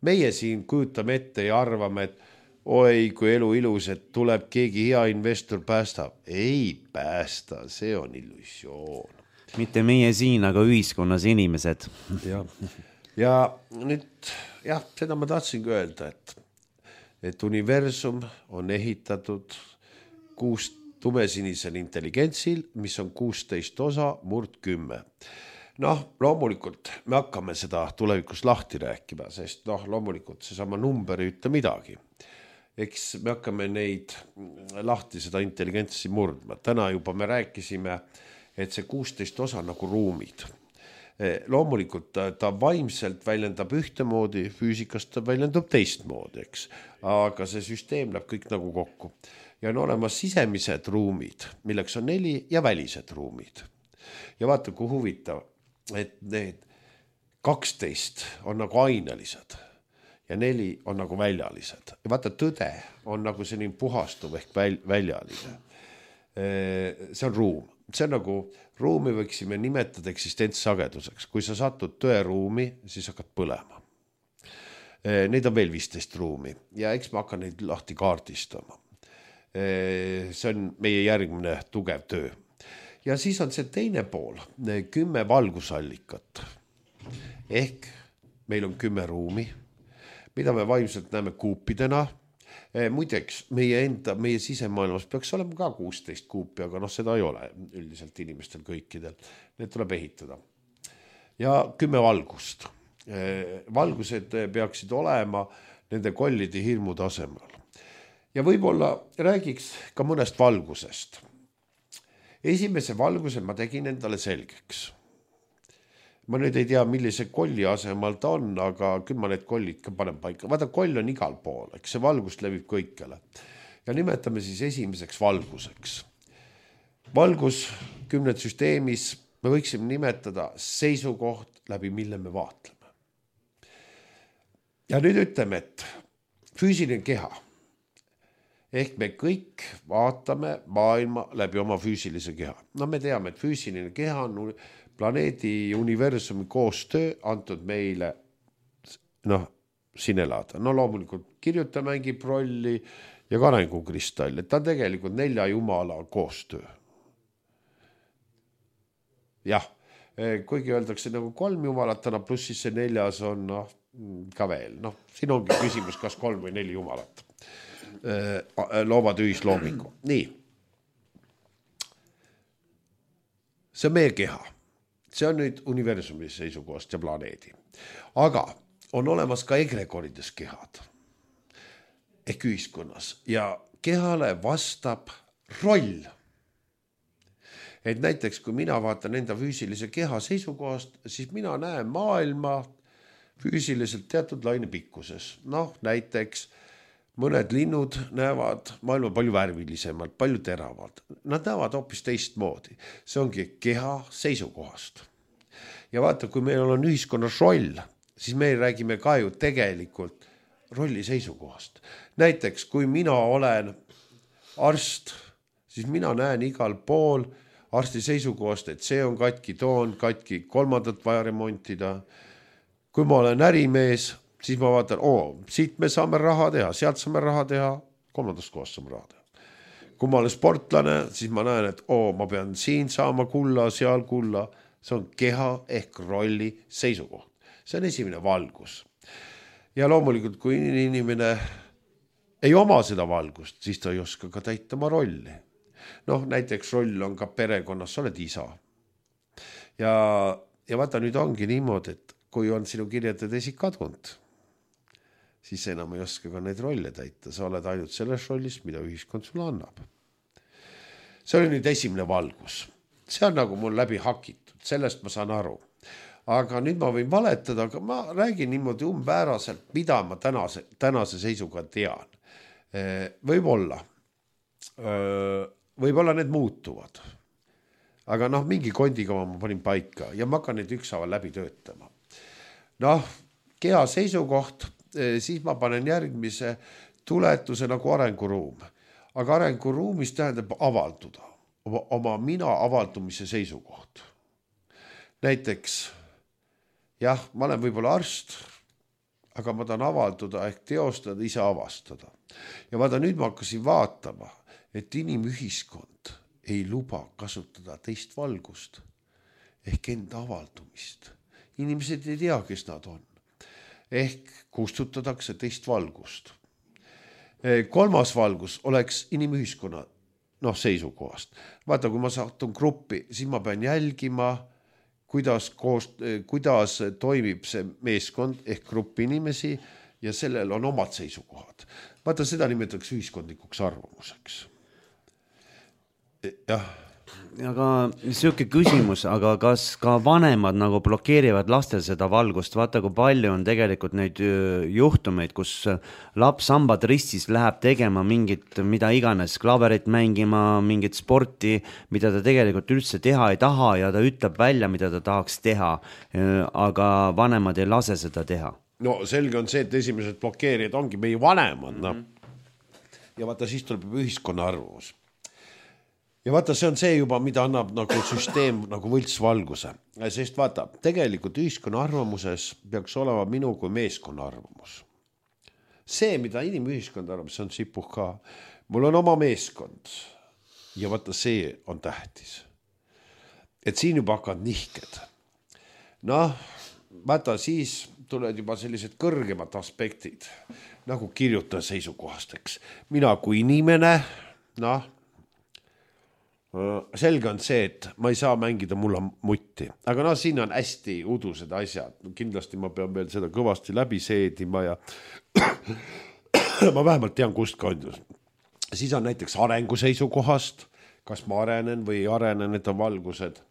Meie siin kujutame ette ja arvame, et oi, kui elu ilus, et tuleb keegi hea investor päästab. Ei päästa, see on illusioon. Mitte meie siin, aga ühiskonnas inimesed. Ja nüüd, jah, seda ma tahtsingi öelda, et universum on ehitatud 6 tumesinisel intelligentsil, mis on 16 osa, murd 10. Noh, loomulikult me hakkame seda tulevikus lahti rääkima, sest loomulikult seesama number ei ütle midagi. Eks me hakkame neid lahti seda intelligentsi murdma. Täna juba me rääkisime, et see 16 osa nagu ruumid. Loomulikult ta vaimselt väljendab ühtemoodi, füüsikast ta väljendab teistmoodi, eks. Aga see süsteem läheb kõik nagu kokku. Ja on olemas sisemised ruumid, milleks on 4 ja välised ruumid. Ja vaata, kui huvitav, et need 12 on nagu ainelised ja 4 on nagu väljalised. Ja vaata, tõde on nagu selline puhastuv ehk väljaline. See on ruum. See on nagu ruumi võiksime nimetada eksistentsageduseks. Kui sa satud tõeruumi, siis hakkad põlema. Neid on veel 15 ruumi ja eks ma hakkan neid lahti kaardistama. See on meie järgmine tugev töö. Ja siis on see teine pool, 10 valgusallikat. Ehk meil on 10 ruumi, mida me vaimselt näeme kuupidena. Muideks, meie sisemaailmas peaks olema ka 16 kuupi, aga seda ei ole üldiselt inimestel kõikidel. Need tuleb ehitada. Ja 10 valgust. Valgused peaksid olema nende kollide hirmu tasemel. Ja võib-olla räägiks ka mõnest valgusest. Esimese valguse ma tegin endale selgeks. Ma nüüd ei tea, millise kolli asemal ta on, aga küll ma need kollid ka panen paika. Vaata, koll on igal pool, eks see valgus levib kõikjale. Ja nimetame siis esimeseks valguseks. Valgus 10 süsteemis me võiksime nimetada seisukoht, läbi mille me vaatleme. Ja nüüd ütleme, et füüsiline keha. Ehk me kõik vaatame maailma läbi oma füüsilise keha. Me teame, et füüsiline keha on planeedi universumi koostöö antud meile siin elada. Loomulikult kirjuta mängib rolli ja ka arengukristall, et ta on tegelikult 4 jumala koostöö. Jah, kuigi öeldakse nagu 3 jumalat, pluss siis see 4 on ka veel. Siin ongi küsimus, kas 3 või 4 jumalat. Loomad ühisloomingu. Nii. See on meie keha. See on nüüd universumi seisukohast ja planeedi. Aga on olemas ka egregorides kehad ehk ühiskonnas ja kehale vastab roll. Et näiteks, kui mina vaatan enda füüsilise keha seisukohast, siis mina näen maailma füüsiliselt teatud laine pikkuses. Näiteks mõned linnud näevad maailma palju värvilisemalt, palju teravalt. Nad näevad hoopis teistmoodi. See ongi keha seisukohast. Ja vaata, kui meil on ühiskonnas roll, siis me räägime ka ju tegelikult rolli seisukohast. Näiteks, kui mina olen arst, siis mina näen igal pool arsti seisukohast, et see on katki, too on katki, 3. vaja remontida. Kui ma olen ärimees, siis ma vaatan, siit me saame raha teha, sealt saame raha teha, 3. kohast saame raha teha. Kui ma olen sportlane, siis ma näen, et ma pean siin saama kulla, seal kulla. See on keha ehk rolli seisukoht. see on esimene valgus. Ja loomulikult, kui inimene ei oma seda valgust, siis ta ei oska ka täita oma rolli. Noh, näiteks roll on ka perekonnas, sa oled isa. Ja vaata, nüüd ongi niimoodi, et kui on sinu kirjade tesi kadunud, siis enam ei oska ka neid rolle täita. Sa oled ainult selles rollis, mida ühiskond sulle annab. See oli nüüd esimene valgus. See on nagu mul läbi hakitud, sellest ma saan aru. Aga nüüd ma võin valetada, aga ma räägin niimoodi umbääraselt, mida ma tänase seisuga tean. Võib-olla need muutuvad. Aga mingi kondikava ma panin paika ja ma hakkan neid ükshaaval läbi töötama. Keha seisukoht, siis ma panen järgmise tuletuse nagu arenguruum. Aga arenguruumis tähendab avalduda, oma mina avaldumise seisukoht. Näiteks, jah, ma olen võib-olla arst, aga ma tahan avalduda ehk teostada, ise avastada. Ja vaata, nüüd ma hakkasin vaatama, et inimühiskond ei luba kasutada teist valgust ehk enda avaldumist. Inimesed ei tea, kes nad on. Ehk kustutatakse teist valgust. Kolmas valgus oleks inimühiskonna seisukohast. Vaata, kui ma satun gruppi, siis ma pean jälgima, kuidas toimib see meeskond ehk gruppi inimesi ja sellel on omad seisukohad. Vaata, seda nimetatakse ühiskondlikuks arvamuseks. Jah. Aga siuke küsimus, aga kas ka vanemad nagu blokeerivad lastel seda valgust? Vaata, kui palju on tegelikult neid juhtumeid, kus laps hambad ristis läheb tegema mingit, mida iganes, klaverit mängima, mingit sporti, mida ta tegelikult üldse teha ei taha ja ta ütleb välja, mida ta tahaks teha, aga vanemad ei lase seda teha. No selge on see, et esimesed blokeerijad ongi meie vanemad. Ja vaata, siis tuleb ühiskonna arvamus. Ja vaata, see on see juba, mida annab nagu süsteem nagu võltsvalguse. Sest vaata, tegelikult ühiskonna arvamuses peaks olema minu kui meeskonna arvamus. See, mida inimühiskond arvab, see on sipuh ka. Mul on oma meeskond ja vaata, see on tähtis. Et siin juba hakkad nihked. Vaata, siis tuled juba sellised kõrgemad aspektid, nagu kirjuta seisukohasteks. Mina kui inimene, selge on see, et ma ei saa mängida mulla mutti. Aga siin on hästi udused asjad. Kindlasti ma pean veel seda kõvasti läbi seedima ja ma vähemalt tean, kust kandus. Siis on näiteks arengu seisukohast, kas ma arenen või ei arene, need on valgused.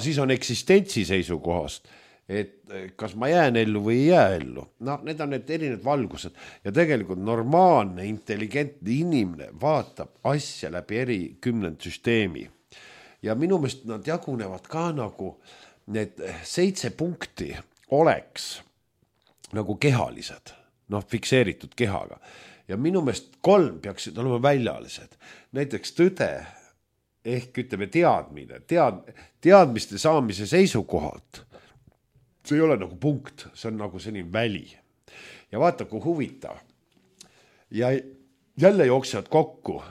Siis on eksistentsi seisukohast, et kas ma jään ellu või ei jää ellu. Need on need erinevad valgused ja tegelikult normaalne, intelligentne inimene vaatab asja läbi eri kümnendsüsteemi. Ja minu meelest nad jagunevad ka nagu need 7 punkti oleks nagu kehalised, fikseeritud kehaga. Ja minu meelest 3 peaksid olema väljaalised. Näiteks tõde ehk ütleme teadmine, teadmiste saamise seisukohalt. See ei ole nagu punkt, see on nagu selline väli. Ja vaata, kui huvitav. Ja jälle jooksevad kokku.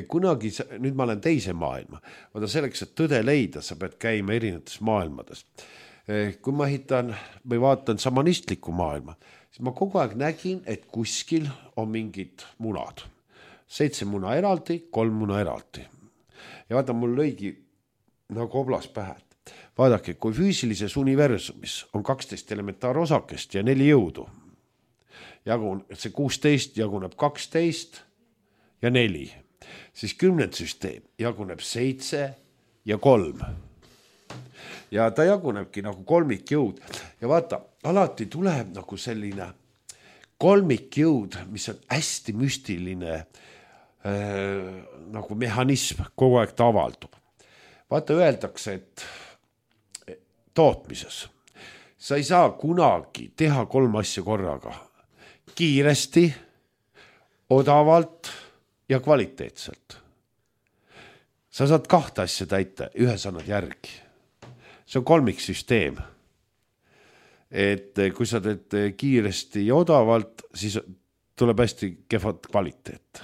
Kunagi, nüüd ma olen teise maailma. Vaata selleks, et tõde leida, sa pead käima erinevates maailmades. Kui ma ehitan või vaatan samanistlikku maailma, siis ma kogu aeg nägin, et kuskil on mingid munad. 7 muna eraldi, 3 muna eraldi. Ja vaata, mul lõigi nagu oblas pähe. Vaadake, kui füüsilises universumis on 12 elementaarosakest ja 4 jõudu, see 16 jaguneb 12 ja 4, siis kümnendsüsteem jaguneb 7 ja 3. Ja ta jagunebki nagu kolmikjõud. Ja vaata, alati tuleb nagu selline kolmikjõud, mis on hästi müstiline nagu mehhanism, kogu aeg ta avaldub. Vaata, öeldakse, et tootmises. Sa ei saa kunagi teha 3 asja korraga. Kiiresti, odavalt ja kvaliteetselt. Sa saad 2 asja täita, 1 annad järgi. See on kolmiksüsteem. Et kui sa teed kiiresti ja odavalt, siis tuleb hästi kehvad kvaliteet.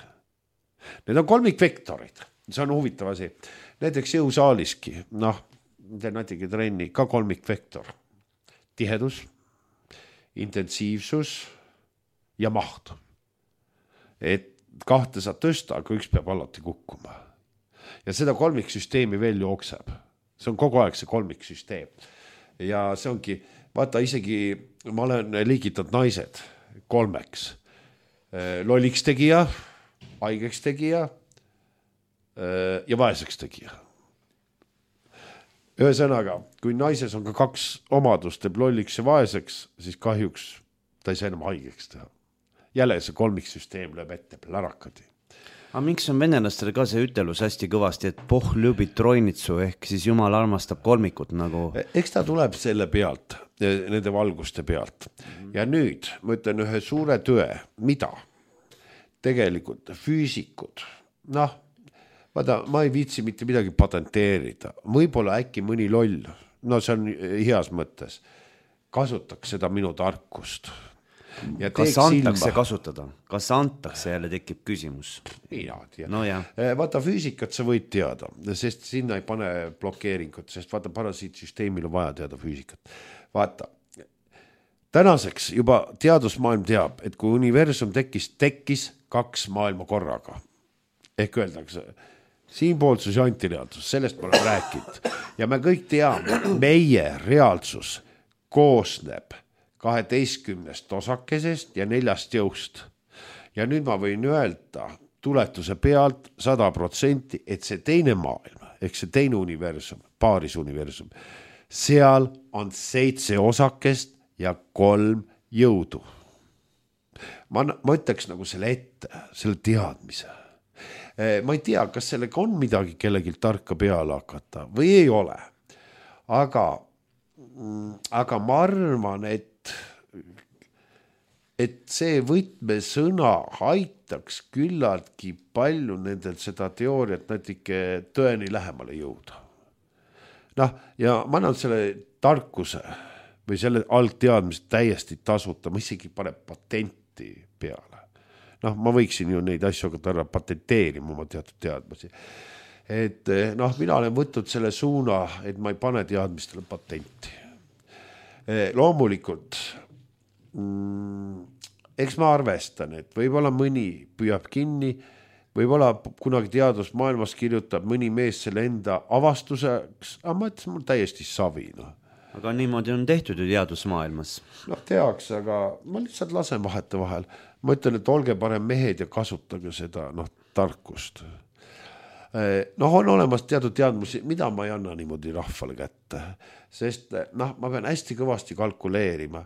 Need on kolmikvektorid. See on huvitav asi. Näiteks jõusaaliski, teen natuke trenni, ka kolmikvektor. Tihedus, intensiivsus ja maht. Et kahte saad tõsta, aga üks peab alati kukkuma. Ja seda kolmiksüsteemi veel jookseb. See on kogu aeg see kolmiksüsteem. Ja see ongi, vaata isegi, ma olen liigitanud naised 3. Lolliks tegija, haigeks tegija ja vaeseks tegija. Ühesõnaga, kui naises on ka 2 omadust, teeb lolliks ja vaeseks, siis kahjuks ta ei saa enam haigeks teha. Jälle see kolmiksüsteem lööb ette plärakadi. Aga miks on venelastel ka see ütelus hästi kõvasti, et poh ljubit troinitsu ehk siis Jumal armastab kolmikut nagu? Eks ta tuleb selle pealt, nende valguste pealt. Ja nüüd ma ütlen ühe suure tõe, mida tegelikult füüsikud, noh, vaata, ma ei viitsi mitte midagi patenteerida, võib-olla äkki mõni loll, no see on heas mõttes, kasutaks seda minu tarkust. Ja kas antakse kasutada? Kas antakse, jälle tekib küsimus? Mina tea. No, vaata, füüsikat sa võid teada, sest sinna ei pane blokeeringut, sest vaata, parasiitsüsteemil on vaja teada füüsikat. Vaata, tänaseks juba teadusmaailm teab, et kui universum tekkis 2 maailma korraga. Ehk öeldakse, siinpoolsus ja antireaalsus, sellest ma olen rääkinud. Ja me kõik teame, meie reaalsus koosneb 12 osakesest ja 4 jõust. Ja nüüd ma võin öelda tuletuse pealt 100%, et see teine maailm, ehk see teine universum, paaris universum, seal on 7 osakest ja 3 jõudu. Ma ütleks nagu selle ette, selle teadmise. Ma ei tea, kas sellega on midagi kellelgi tarka peale hakata või ei ole. Aga ma arvan, et see võtmesõna aitaks küllaltki palju nendel seda teooriat natuke tõeni lähemale jõuda. Noh, ja ma annan selle tarkuse või selle algteadmist täiesti tasuta, ma isegi pane patenti peale. Noh, ma võiksin ju neid asju hakata patenteerima oma teatud teadmisi. Et noh, mina olen võtnud selle suuna, et ma ei pane teadmistele patenti. Loomulikult, eks ma arvestan, et võib-olla mõni püüab kinni, võib-olla kunagi teadusmaailmas kirjutab mõni mees selle enda avastuseks, aga ma ütlesin, mul täiesti savi. No. Aga niimoodi on tehtud ju teadusmaailmas. Noh, tehaks, aga ma lihtsalt lasen vahete vahel. Ma ütlen, et olge parem mehed ja kasutage seda tarkust. Noh, on olemas teatud teadmusi, mida ma ei anna niimoodi rahvale kätte, sest noh, ma pean hästi kõvasti kalkuleerima,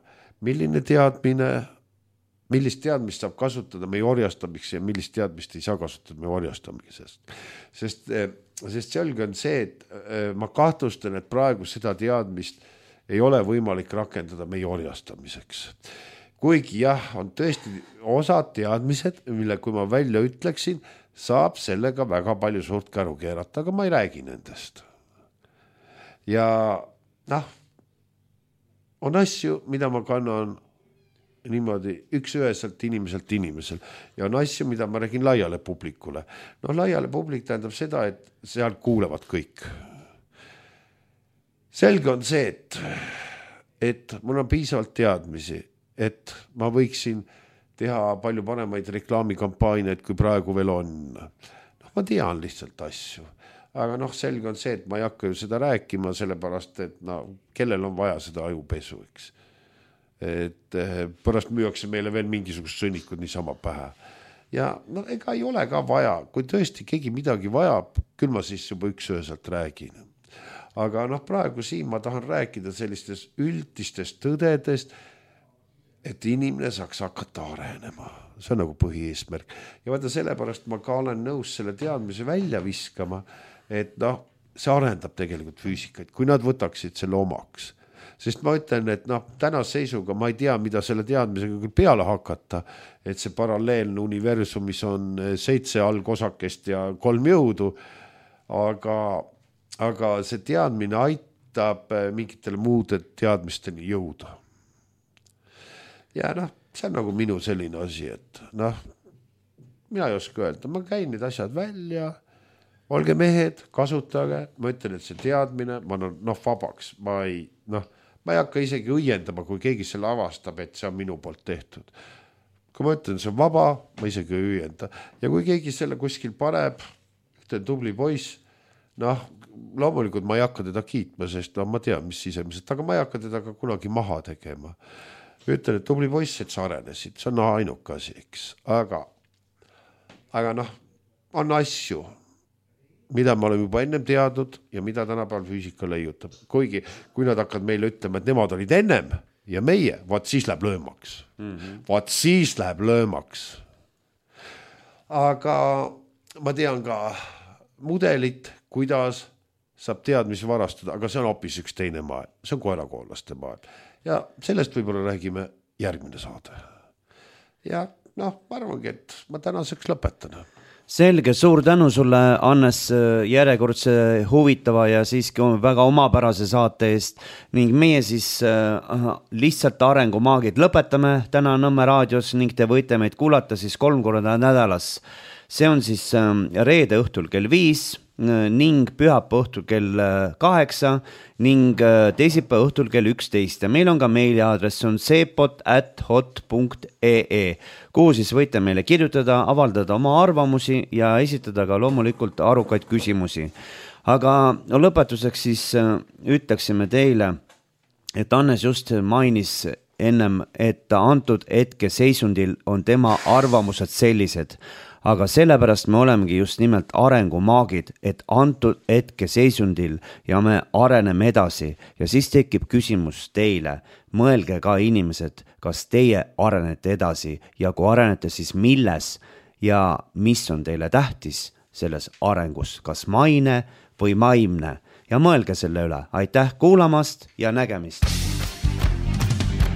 milline teadmine, millist teadmist saab kasutada meie orjastamiseks ja millist teadmist ei saa kasutada meie orjastamisest. Sest selge on see, et ma kahtlustan, et praegu seda teadmist ei ole võimalik rakendada meie orjastamiseks. Kuigi jah, on tõesti osad teadmised, mille kui ma välja ütleksin, saab sellega väga palju suurt käru keerata, aga ma ei räägi nendest. Ja noh, on asju, mida ma kannan niimoodi üks-üheselt inimeselt ja on asju, mida ma räägin laiale publikule. No laiale publik tähendab seda, et seal kuulevad kõik. Selge on see, et mul on piisavalt teadmisi, et ma võiksin teha palju paremaid reklaamikampaaniaid, kui praegu veel on. No, ma tean lihtsalt asju. Aga noh, selge on see, et ma ei hakka ju seda rääkima, sellepärast, et no, kellel on vaja seda ajupesu, eks. Et pärast müüakse meile veel mingisugust sõnnikud niisama pähe. Ja no, ega ei ole ka vaja, kui tõesti keegi midagi vajab, küll ma siis juba üks-üheselt räägin. Aga noh, praegu siin ma tahan rääkida sellistest üldistest tõdedest, et inimene saaks hakata arenema. See on nagu põhieesmärk. Ja vaata sellepärast ma ka olen nõus selle teadmise välja viskama, et noh, see arendab tegelikult füüsikaid, kui nad võtaksid selle omaks. Sest ma ütlen, et noh, tänase seisuga ma ei tea, mida selle teadmisega küll peale hakata, et see paralleelne universumis on 7 algosakest ja 3 jõudu, aga see teadmine aitab mingitele muude teadmisteni jõuda. Ja noh, see on nagu minu selline asi, et noh, mina ei oska öelda, ma käin need asjad välja, olge mehed, kasutage, ma ütlen, et see teadmine, ma olen vabaks, ma ma ei hakka isegi õiendama, kui keegi selle avastab, et see on minu poolt tehtud. Kui ma ütlen, see on vaba, ma isegi ei õienda. Ja kui keegi selle kuskil paneb, ütlen tubli poiss, noh, loomulikult ma ei hakka teda kiitma, sest ma tean, mis sisemiselt, aga ma ei hakka teda ka kunagi maha tegema. Ütlen, et tubli poiss, et sa arenesid, see on ainuke asi, eks. Aga noh, on asju, mida me oleme juba ennem teadnud ja mida tänapäeval füüsika leiutab. Kuigi, kui nad hakkad meile ütlema, et nemad olid ennem ja meie, vaat siis läheb löömaks. Vaat siis läheb löömaks. Aga ma tean ka mudelit, kuidas saab teadmisi varastada, aga see on hoopis üks teine maailm. See on koerakoolaste maailm. Ja sellest võib-olla räägime järgmine saade. Ja noh, ma arvangi, et ma tänaseks lõpetan. Selge, suur tänu sulle, Hannes, järjekordse huvitava ja siiski väga omapärase saate eest ning meie siis lihtsalt arengumaagid lõpetame täna Nõmme raadios ning te võite meid kuulata siis 3 korda nädalas. See on siis reede õhtul kell 5 ning pühapäeva õhtul kell 8 ning teisipäeva õhtul kell 11 ja meil on ka meiliaadress, on sepot@hot.ee, kuhu siis võite meile kirjutada, avaldada oma arvamusi ja esitada ka loomulikult arukaid küsimusi. Aga lõpetuseks siis ütleksime teile, et Hannes just mainis ennem, et antud hetke seisundil on tema arvamused sellised. Aga sellepärast me olemegi just nimelt arengumaagid, et antud hetke seisundil ja me areneme edasi ja siis tekib küsimus teile. Mõelge ka inimesed, kas teie arenete edasi ja kui arenete, siis milles ja mis on teile tähtis selles arengus, kas maine või vaimne ja mõelge selle üle. Aitäh kuulamast ja nägemist!